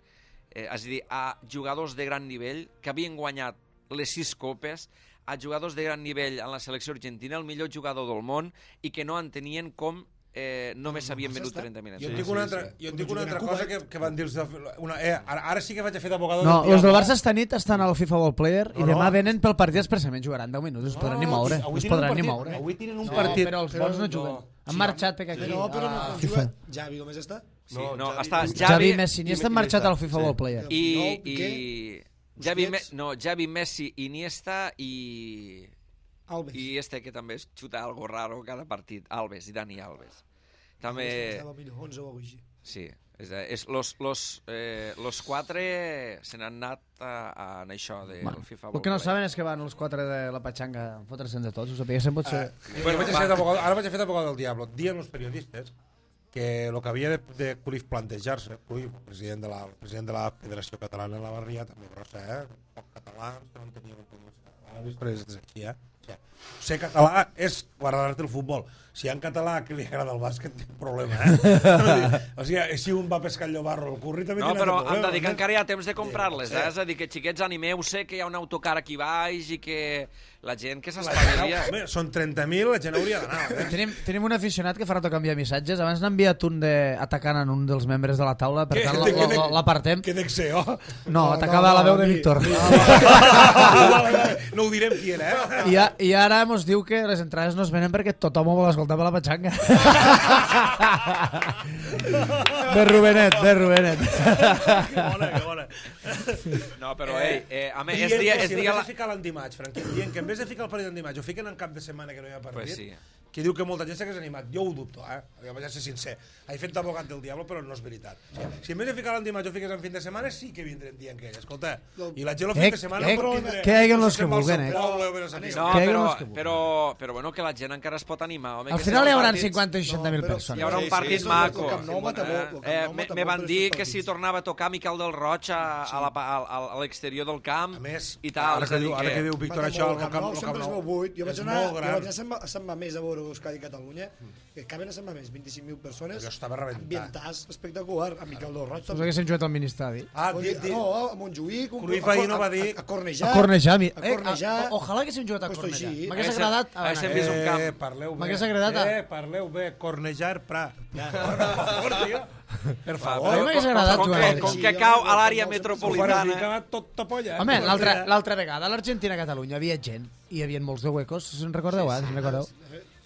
eh, és a dir, a jugadors de gran nivell que havien guanyat les sis copes, a jugadors de gran nivell en la selecció argentina, el millor jugador del món, i que no entenien com eh, només s'havien venut trenta mil Jo en entrades. dic una altra, jo en dic una altra cosa que, que van dir els de, una, eh, ara, ara sí que vaig a fer d'abogado No, del els del diable. Barça esta nit estan al FIFA World Player i No, no. demà venen pel partit expressament, jugaran deu minuts, no es podran ni moure. avui No es tenen un podran ni partit, moure. avui tenen un No, partit. però els bons no juguen. Han marxat perquè aquí... Però, però no, a no FIFA. juga Javi només està. Sí, no, Javi- està Javi, Javi, Messi, ni i- estan i marxat Iniesta. al FIFA Sí. World Player. i, No, i Busquets. Javi, Me, no, Javi, Messi, Iniesta i... Alves. I este que també es xuta algo raro cada partit, Alves, i Dani Alves. També... Estava millor, onze o alguna cosa així. sí. És, és, los, los, eh, los quatre se n'han anat a, a, a això del Bueno, FIFA el World que no Play. saben és que van els quatre de la patxanga a fotre-se'n de tots, ho sapiguessin potser... Eh, bueno, vaig a ser d'abogado- ara vaig a fer d'abogado del diablo. Dien els periodistes que el que havia de, de Cruyff plantejar-se, Cruyff, president de la, president de la Federació Catalana de la Barria, també grossa, eh? Poc català, no en tenia catalans, però és així, eh? Ser català és guardar-te el futbol. Si hi ha en català que li agrada el bàsquet, té un problema, eh? O sigui, si un va pescar el llobarro el curri, també No, té un però altre hem de dir que problema. encara hi ha temps de comprar-les, Sí. eh? És a dir, que xiquets, animeu-se, que hi ha un autocar aquí baix i que la gent que La gent, s'espavilia... home, són trenta mil, la gent hauria d'anar. Eh? Tenim, tenim un aficionat que farà canviar missatges. Abans n'ha enviat un de atacant en un dels membres de la taula, per Què? tant De- la- de- la- l'apartem. Que dec ser, oh? No, No, atacava no, la veu no, de mi- Víctor. mi- Vale, vale. No ho direm qui era, eh? I, a, I ara mos diu que les entrades no es venen perquè tothom ho vol escoltar per la patxanga. Bé, Rubenet, bé, Rubenet. Que bona, que bona. No, però, ei, eh, a més, és Dient dia... que És si en dia vez la... de ficar l'antimatch, Franqui, dient que en vez de ficar el partit d'antimatch ho fiquen en cap de setmana que no hi ha partit, Pues sí. que diu que molta gent s'hagués animat. Jo ho dubto, eh? Jo vaig a ser sincer. He fet d'abogat del diablo, però no és veritat. O sigui, si en vez de ficar l'antimatch ho fiques en fin de setmana, sí que vindrem dient que, escolta, i la gent el fin de setmana eh, pot tindre... que hi ha els que se'n va al vulguen, seu eh? poble o bé no sap què. No, Que hi ha però, uns que vulguin. però, però, bueno, que la gent encara es pot animar. Home, Al que final si hi els haurà partits- cinquanta o seixanta mil No, però persones. Hi haurà un Sí, partit sí, maco. el Camp Nou mata molt, el Camp Eh, Nou me, mata me molt van per dir aquests que si partits. tornava a tocar Miquel del Roig a, a la, a, a, a l'exterior del camp A més, i tal. ara és a que, dir diu, ara que diu Víctor Mata això, molt, el el Camp Nou, Nou el sempre Camp es Nou veu buit. Jo vaig és anar, molt jo gran. vaig anar a Sant Ma- a Sant Mamés a veure Euskadi i Catalunya, que caben a Sant Mamés vint-i-cinc mil persones, Allò estava rebentat. ambientàs espectacular, amb Miquel del Roig. Us haguessin jugat al ministeri. Ah, Vol di, dir, di, no, a Montjuïc, un- Cruyff a- ahir no a- va dir- a, a Cornejar, A Cornejar. mi- a Eh, Cornejar, a- ojalà haguéssim jugat a Puesto Cornejar. així. M'hagués Haguéssim- agradat haguéssim anar. vist un camp. Eh, parleu bé. M'hagués agradat, ah. Eh, parleu bé, cornejar Prat. Per favor, tio. Per A mi favor. m'hagués agradat com, jugar. que, com Sí, que jo cau crec a que l'àrea no se- Ho metropolitana... ficava tot topolla. eh? Home, l'altra Cornejar. l'altra vegada a l'Argentina-Catalunya havia gent i hi havia molts de huecos, se'n recordeu, eh? Se'n recordeu?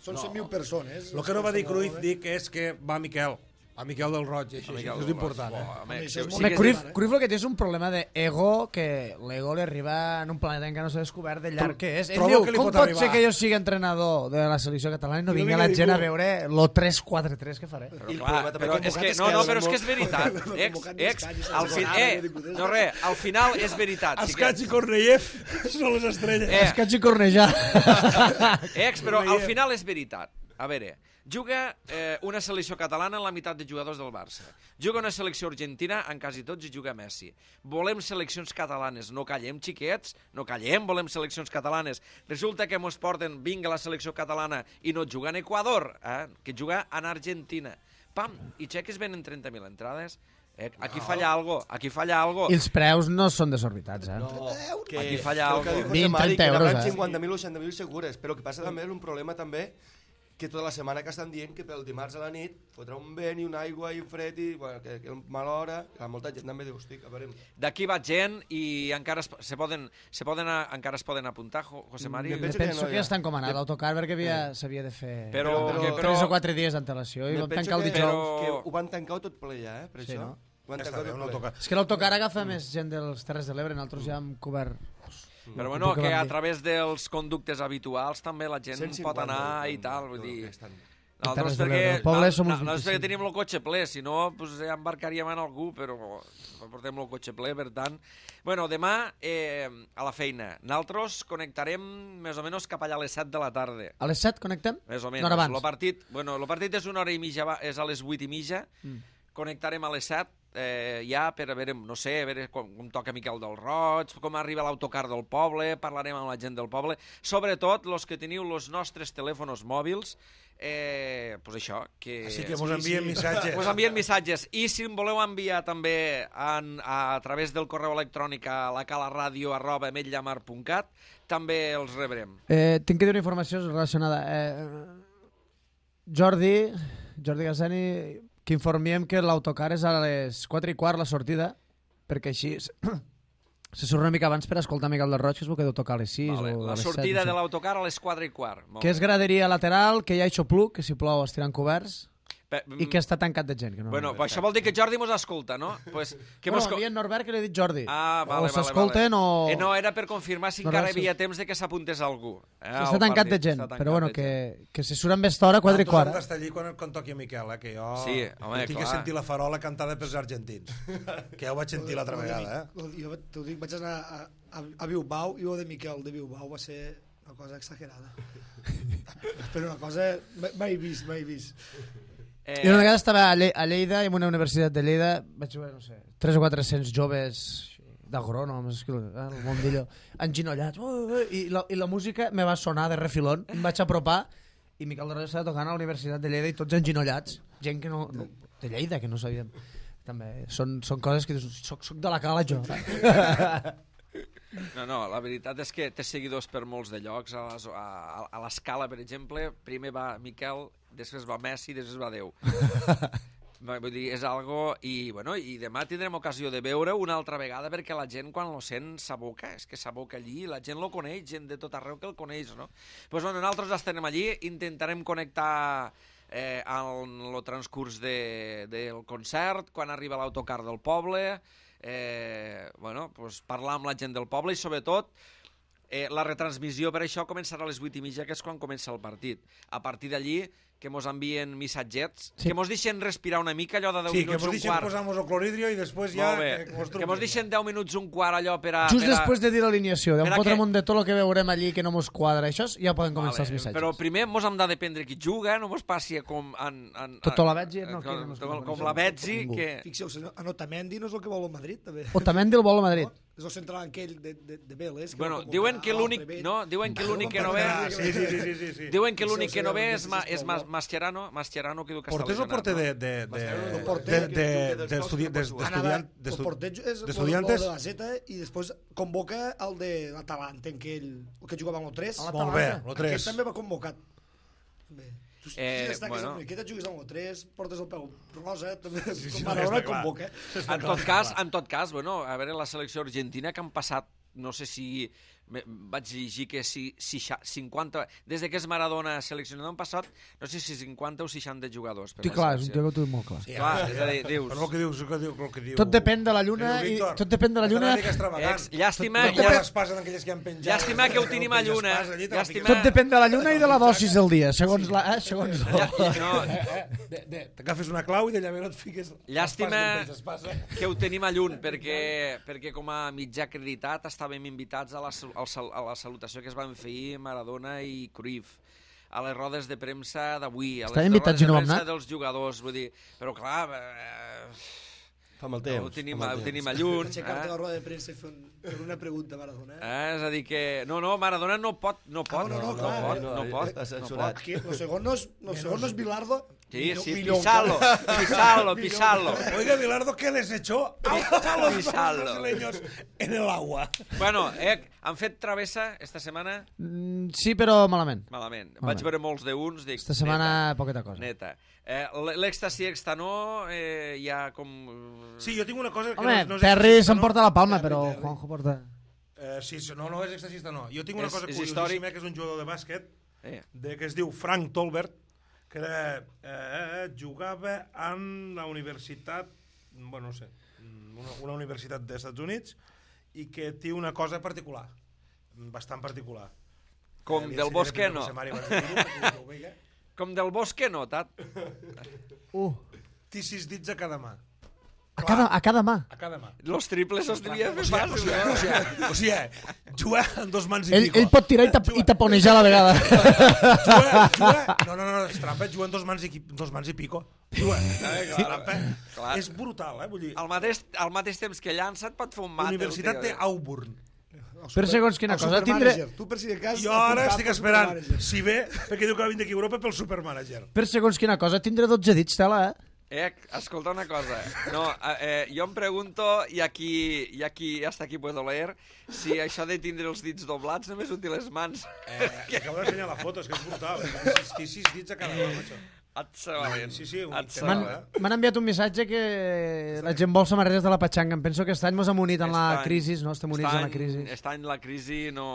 són cent mil persones. El que no va dir Cruyff, dic, és que va Miquel. A Miquel del Roig, això, Miquel això és del important. Roig, Eh? bo, home, Home, sí, això és sí molt Home, que- Cruyff, Cruyff el que té és un problema d'ego, que l'ego li arriba en un planeta en què no s'ha descobert de llarg que és. Ell Trobo diu, que li com pot pot arribar. ser que jo sigui entrenador de la selecció catalana i no I no vingui vingui la gent a ningú. veure lo tres quatre tres que faré? Però, I el clar, problema també però que és que, convocat no, no, és que però és que és molt- veritat. no Ex, convocat ni ex, Escanyes, al fin, Sonada, eh, ni Codés. no res, al final és veritat. Escats i Cornellev són les estrelles. Eh. Escaig i cornejar. Ex, però al final és veritat. A veure, juga eh, una selecció catalana en la meitat de jugadors del Barça. Juga una selecció argentina, en quasi tots hi juga Messi. Volem seleccions catalanes, no callem, xiquets, no callem, volem seleccions catalanes. Resulta que mos porten, vinga la selecció catalana i no juga en Equador, eh, que juga en Argentina. Pam, i xeques venen trenta mil entrades. Eh, aquí falla algo, aquí falla algo. I els preus no són desorbitats, eh? No, que, Aquí falla el que algo. diu José vint, Mari, trenta que euros, n'hauran eh? cinquanta mil o seixanta mil segures, però que passa també un problema també que tota la setmana que estan dient que pel dimarts a la nit fotrà un vent i una aigua i un fred i bueno, que, que mala hora, que molta gent també diu, hosti, a veure... D'aquí va gent i encara es, se poden, se poden, a- encara es poden apuntar, Jo- José Mari. Me Jo penso que penso no que hi ha. ja està encomanat l'autocar perquè havia- s'havia de fer Però, Però- que, tres però, o quatre dies d'antelació i Me vam penso tancar el que, dijous. Però- que ho van tancar tot ple ja, eh, per Sí, això. no? Ho van Ja està tancar bé, tot un ple. autocar. És que l'autocar agafa més gent dels Terres de l'Ebre, nosaltres ja hem cobert... però bueno, el que que vam a dir. través dels conductes habituals també la gent cent pot cinquanta, anar i no, tal, no, vull dir... que estan- Nosaltres Terres de perquè, l'Ebre. El poble no, som no, uns nosaltres perquè vint-i-cinc. tenim el cotxe ple, si no pues, ja embarcaríem en algú, però portem el cotxe ple, per tant... Bueno, demà eh, a la feina. Nosaltres connectarem més o menys cap allà a les set de la tarda. A les set connectem? Més o menys. Una hora abans. Lo partit, bueno, el partit és una hora i mitja, va- és a les vuit i mitja. Mm. Connectarem a les set, eh, ja per a veure, no sé, a veure com, com toca Miquel del Roig, com arriba l'autocar del poble, parlarem amb la gent del poble. Sobretot, los que teniu els nostres telèfons mòbils, eh, pues això, que... Així que mos envien missatges. Us envien missatges. I si em voleu enviar també en, a, a través del correu electrònic a la calaradio arroba ametllamar punt cat, també els rebrem. Eh, tinc que dir una informació relacionada. Eh, Jordi, Jordi Gazzani, que informiem que l'autocar és a les quatre i quart la sortida, perquè així s- se surt una mica abans per escoltar Miquel del Roig, que es veu que deu tocar a les sis Vale. o a La les set. sortida no sé. de l'autocar a les quatre i quart. Molt Que és bé. graderia lateral, que hi ha aixopluc, que si plou estiran coberts. I que està tancat de gent. Que no... Bueno, això vol dir que Jordi mos escolta, no? Pues, que bueno, mos... a mi en Norbert que li he dit Jordi. Ah, vale, o s'escolten vale, o... vale. Eh, no, era per confirmar si encara hi havia temps de que s'apuntés algú. Eh, està tancat de gent, però bueno, que, que si surt amb esta hora, quatre i quart. Nosaltres d'estar allí quan, quan toqui a Miquel, eh, que jo sí, home, tinc clar. que sentir la farola cantada pels argentins. Que ja ho vaig sentir l'altra vegada, eh? Jo t'ho dic, vaig anar a, a, a Bilbao i el de Miquel de Bilbao va ser una cosa exagerada. Però una cosa mai vist, mai vist. Eh... Jo una vegada estava a, Le a Lleida, en una universitat de Lleida, vaig veure, no sé, tres o quatre-cents joves d'agrònoms, el mundillo, enginollats, uh, uh, i, la, i la música me va sonar de refilón, em vaig apropar i Miquel de Roda estava tocant a la Universitat de Lleida i tots enginollats, gent que no, no de Lleida, que no sabíem. També són, són coses que dius, soc, soc de la cala jo. No, no, la veritat és que té seguidors per molts de llocs. A, les, a, a l'Escala, per exemple, primer va Miquel, després va Messi, després va Déu. Vull dir, és algo... I, bueno, i demà tindrem ocasió de veure una altra vegada perquè la gent, quan lo sent, s'aboca. És que s'aboca allí, la gent lo coneix, gent de tot arreu que el coneix, no? Doncs, pues, bueno, nosaltres estarem allí, intentarem connectar eh, en el transcurs de, del concert, quan arriba l'autocar del poble... Eh, bueno, pues parlar amb la gent del poble i sobretot eh, la retransmissió per això començarà a les vuit i mitja, que és quan comença el partit. A partir d'allí que mos envien missatgets, sí. que mos deixen respirar una mica, allò de deu sí, minuts, un quart. Sí, que mos deixen posar-nos el cloridrio i després ja... Que, mos que mos deixen deu minuts, un quart, allò per a... Just per a... després de dir l'alineació, d'on fotre un de tot el que veurem allí que no mos quadra, això ja poden començar vale, els missatges. Però primer mos hem de dependre qui juga, no mos passi com... En, en, tot la Betzi, no? Com, com, com la Betzi, que... Fixeu-se, en Otamendi no és el que vol el Madrid, també. Otamendi el vol el Madrid. És el central aquell de, de, de Vélez. Bueno, diuen que l'únic no, diuen que l'únic que no ve... Sí, sí, sí, sí, sí. Diuen que l'únic que no ve és, és Mascherano, Mascherano que diu que Porter està o porter de... de, de, d'estudiantes? D'estudiantes? De la Z i després convoca el de l'Atalanta, aquell que jugava amb el tres. Molt bé, el tres. Aquest també va convocat. Bé. Tu, eh, si bueno. Aquesta jugues amb el tres, portes el peu rosa, també sí, sí, com Maradona no, convoca. En tot cas, en tot cas, bueno, a veure la selecció argentina que han passat, no sé si vaig llegir que si, si cinquanta, des de que és Maradona seleccionat han passat, no sé si cinquanta o seixanta jugadors. Sí, clar, és un tio que ho tinc molt clar. Sí, clar, és a dir, dius... Però el que dius, el que diu, el que diu... Tot depèn de la lluna i... Tot depèn de la lluna... Ex, llàstima... Tot depèn... Que llàstima que ho tenim a lluna. Llàstima... Tot depèn de la lluna i de la dosis del dia, segons la... Eh, segons la... No. T'agafes una clau i d'allà no et fiques... Llàstima que ho tenim a llun, perquè, perquè com a mitjà acreditat estàvem invitats a la, a la salutació que es van fer Maradona i Cruyff, a les rodes de premsa d'avui, a les rodes de premsa dels jugadors, vull dir, però clar... Eh, Fa mal temps. Ho tenim, ho tenim a llun. Aixecar-te la roda de premsa i fer una pregunta a Maradona. Eh, és a dir que... No, no, Maradona no pot, no pot. Ah, no, no, no, clar, no, pot, no, no, no, pot, no, no pot. Lo segon no és, lo segon no és Bilardo. Sí, sí, pisalo, pisalo, pisalo. Oiga, Bilardo, ¿qué les echó a los brasileños en el agua? Bueno, eh, han fet travessa esta setmana? Mm, sí, però malament. Malament. malament. Vaig veure molts de uns. Dic, esta setmana neta, poqueta cosa. Neta. Eh, L'èxtasi extanó eh, hi ha com... Sí, jo tinc una cosa... Que Home, no, no Terry s'emporta la palma, però Juanjo porta... Eh, sí, no, no és extasista, no. Jo tinc una és, cosa és curiosíssima, que és un jugador de bàsquet, eh. de, que es diu Frank Tolbert, que era, eh, jugava en la universitat, bueno, no sé, una, una universitat dels Estats Units, i que té una cosa particular, bastant particular. Com eh, del si Bosque, no. Com del Bosque, no, tat. Uh. Té sis dits a cada mà. A cada, a cada mà. A cada mà. Los triples els devia fer fàcil. O sigui, o sigui, o sigui, jugar amb dos mans i ell, pico. ell pot tirar i, tap, i taponejar a la vegada. Jugar, jugar, no, no, no, és trampa, jugar amb dos mans i, dos mans i pico. Jugar, és trampa. Clar. És brutal, eh? Vull dir, Al mateix, al mateix temps que llança et pot fer un mate. Universitat de Auburn. Per segons quina cosa, tindre... Tu per si de cas... Jo ara estic esperant, si ve, perquè diu que va vindre aquí a Europa pel supermanager. Per segons quina cosa, tindre dotze dits, tela, eh? Eh, escolta una cosa. No, eh, jo em pregunto, i aquí, i aquí hasta aquí puedo leer, si això de tindre els dits doblats només ho té les mans. Eh, que acabo d'ensenyar la foto, és que és brutal. Té sis dits a cada mà, macho. Et sabalent. Sí, sí, m'han enviat un missatge que la gent vol samarretes de la Patxanga. Em penso que aquest any mos hem unit en la crisi, no? Estem units en la crisi. Aquest any la crisi no...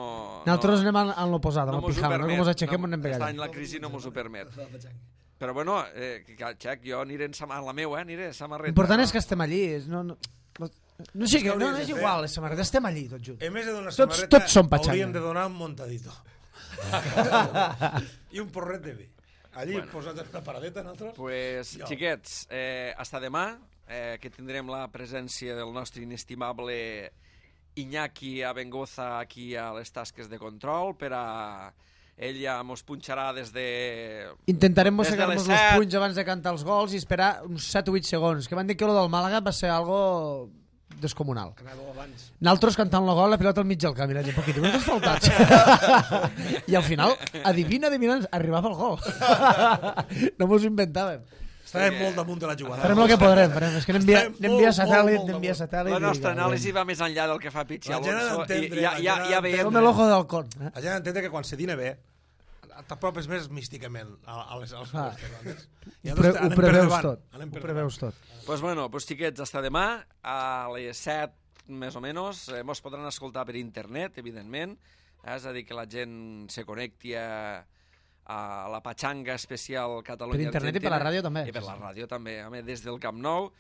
Nosaltres anem en l'oposat, en el pijama, no? Com ens aixequem, no, anem pegant. Aquest any la crisi no mos ho permet. Però bueno, eh, Xec, jo aniré en sam... a la meva, eh? Aniré a samarreta. L'important és que estem allí. No, no, no, no, sí, que, no, no és igual, les samarretes estem allí tots junts. En més de donar Tots- samarreta, tots són patxanga. hauríem de donar un montadito. I un porret de vi. Allí bueno. posats en una paradeta, nosaltres. Pues, Jo. xiquets, eh, hasta demà, eh, que tindrem la presència del nostre inestimable Iñaki Abengoza aquí a les tasques de control per a... Ell ja mos punxarà des de... Intentarem Des de mossegar-nos les els set. punys abans de cantar els gols i esperar uns set o vuit segons. Que van dir que lo del Màlaga va ser algo descomunal. Anava abans. Nosaltres cantant el gol, la pilota al mig del camí. Un poquit, uns faltats. I al final, adivina, adivina, arribava el gol. No mos ho inventàvem. Estàvem molt damunt de la jugada. Farem el que podrem. Farem. És que anem via, Estem anem via molt, satèl·lit, molt, molt anem via damunt. satèl·lit. La nostra i- anàlisi va més enllà del que fa Pichi La gent ha Alonso i d'entendre, ja, la ja, gent ha ja veiem... Som el ojo del con. Eh? La gent ha d'entendre que quan se dina bé t'apropes més místicament a, a les, als Ah. gols. Ho, pre ho preveus tot. Ho preveus tot. Pues bueno, pues xiquets, hasta demà, a les set més o menys, eh, mos podran escoltar per internet, evidentment, eh, és a dir, que la gent se connecti a, a la patxanga especial Catalunya-Argentina. Per internet i per la ràdio també. I per la ràdio també, a més, des del Camp Nou.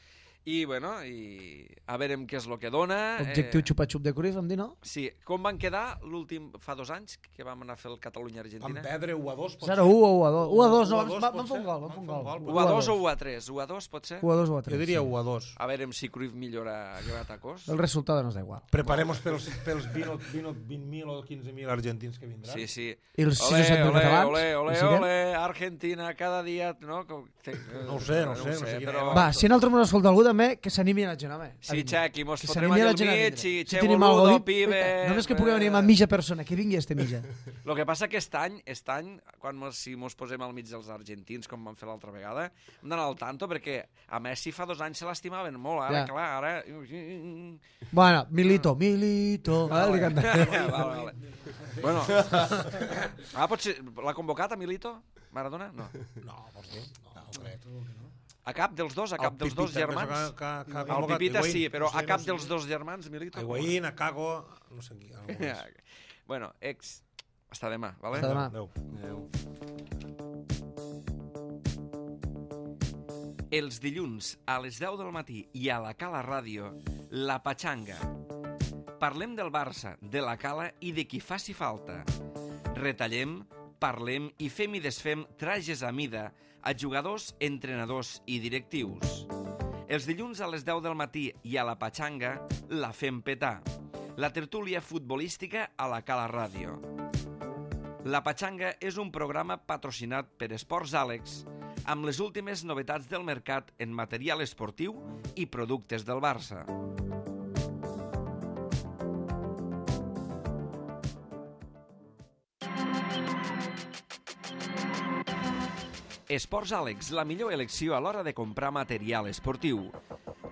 I, bueno, i a veurem què és el que dona. Objectiu xupa-xup de Cruyff, em dir, no? Sí, com van quedar l'últim, fa dos anys, que vam anar a fer el Catalunya-Argentina? Van perdre u a dos, pot zero ser? u o u a dos. u a dos, no, u a dos van, pot van fer un ser? gol, van fer un gol. u a dos o u a tres? u a dos pot ser? u a dos o u a tres. Jo diria sí. u a dos. A veurem si Cruyff millora gratacós. El resultat no és igual. Preparemos pels, pels vint mil o quinze mil argentins que vindran. Sí, sí. I els sis Olé, o set mil olé, catalans? olé, olé, Hi siguem? olé, Argentina, cada dia... No, Com- te- No ho sé, no ho sé, no sé quina però... era. Va, si nosaltres mos escolta algú també, que s'animi a la gent, home. Sí, Xec, i mos Que fotrem s'animi allà la al gent a mig vindre. i Si che tenim algo boludo, dit, pibe... només que pugui venir amb mitja persona, que vingui este mitja. El que passa que aquest any, aquest any quan mos, si mos posem al mig dels argentins, com vam fer l'altra vegada, hem d'anar al tanto, perquè a Messi fa dos anys se l'estimaven molt, ara, Ja. clar, ara... Bueno, Milito, Milito. Ah, li canta. vale, vale. Bueno, ah, potser l'ha convocat a Milito? Maradona? No. No, vols dir? No, no crec. A cap dels dos, a cap dels dos Pipita, penso germans? que- que- que ha El convocat Pipita Higuaín. sí, però No sé, a cap no sé. dels dos germans, Milito? Higuaín, a Cago, no sé qui. algú més. Bueno, ex... Hasta demà, vale? Hasta demà. Adéu. Els dilluns a les deu del matí i a la Cala Ràdio, La Patxanga. Parlem del Barça, de la Cala i de qui faci falta. Retallem, parlem i fem i desfem trajes a mida a jugadors, entrenadors i directius. Els dilluns a les deu del matí i a la Patxanga la fem petar. La tertúlia futbolística a la Cala Ràdio. La Patxanga és un programa patrocinat per Esports Àlex amb les últimes novetats del mercat en material esportiu i productes del Barça. Esports Àlex, la millor elecció a l'hora de comprar material esportiu.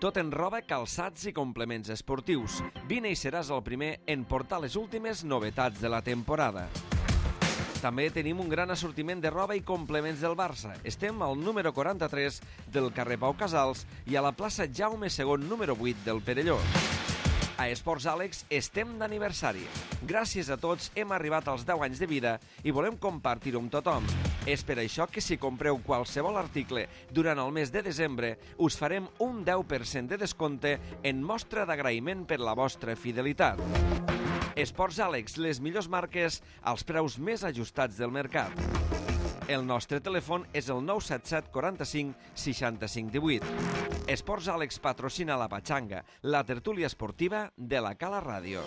Tot en roba, calçats i complements esportius. Vine i seràs el primer en portar les últimes novetats de la temporada. També tenim un gran assortiment de roba i complements del Barça. Estem al número quaranta-tres del carrer Pau Casals i a la plaça Jaume segon número vuit del Perelló. A Esports Àlex estem d'aniversari. Gràcies a tots hem arribat als deu anys de vida i volem compartir-ho amb tothom. És per això que si compreu qualsevol article durant el mes de desembre us farem un deu per cent de descompte en mostra d'agraïment per la vostra fidelitat. Esports Àlex, les millors marques als preus més ajustats del mercat. El nostre telèfon és el nou set set quaranta-cinc seixanta-cinc divuit. Esports Àlex patrocina la Patxanga, la tertúlia esportiva de la Cala Ràdio.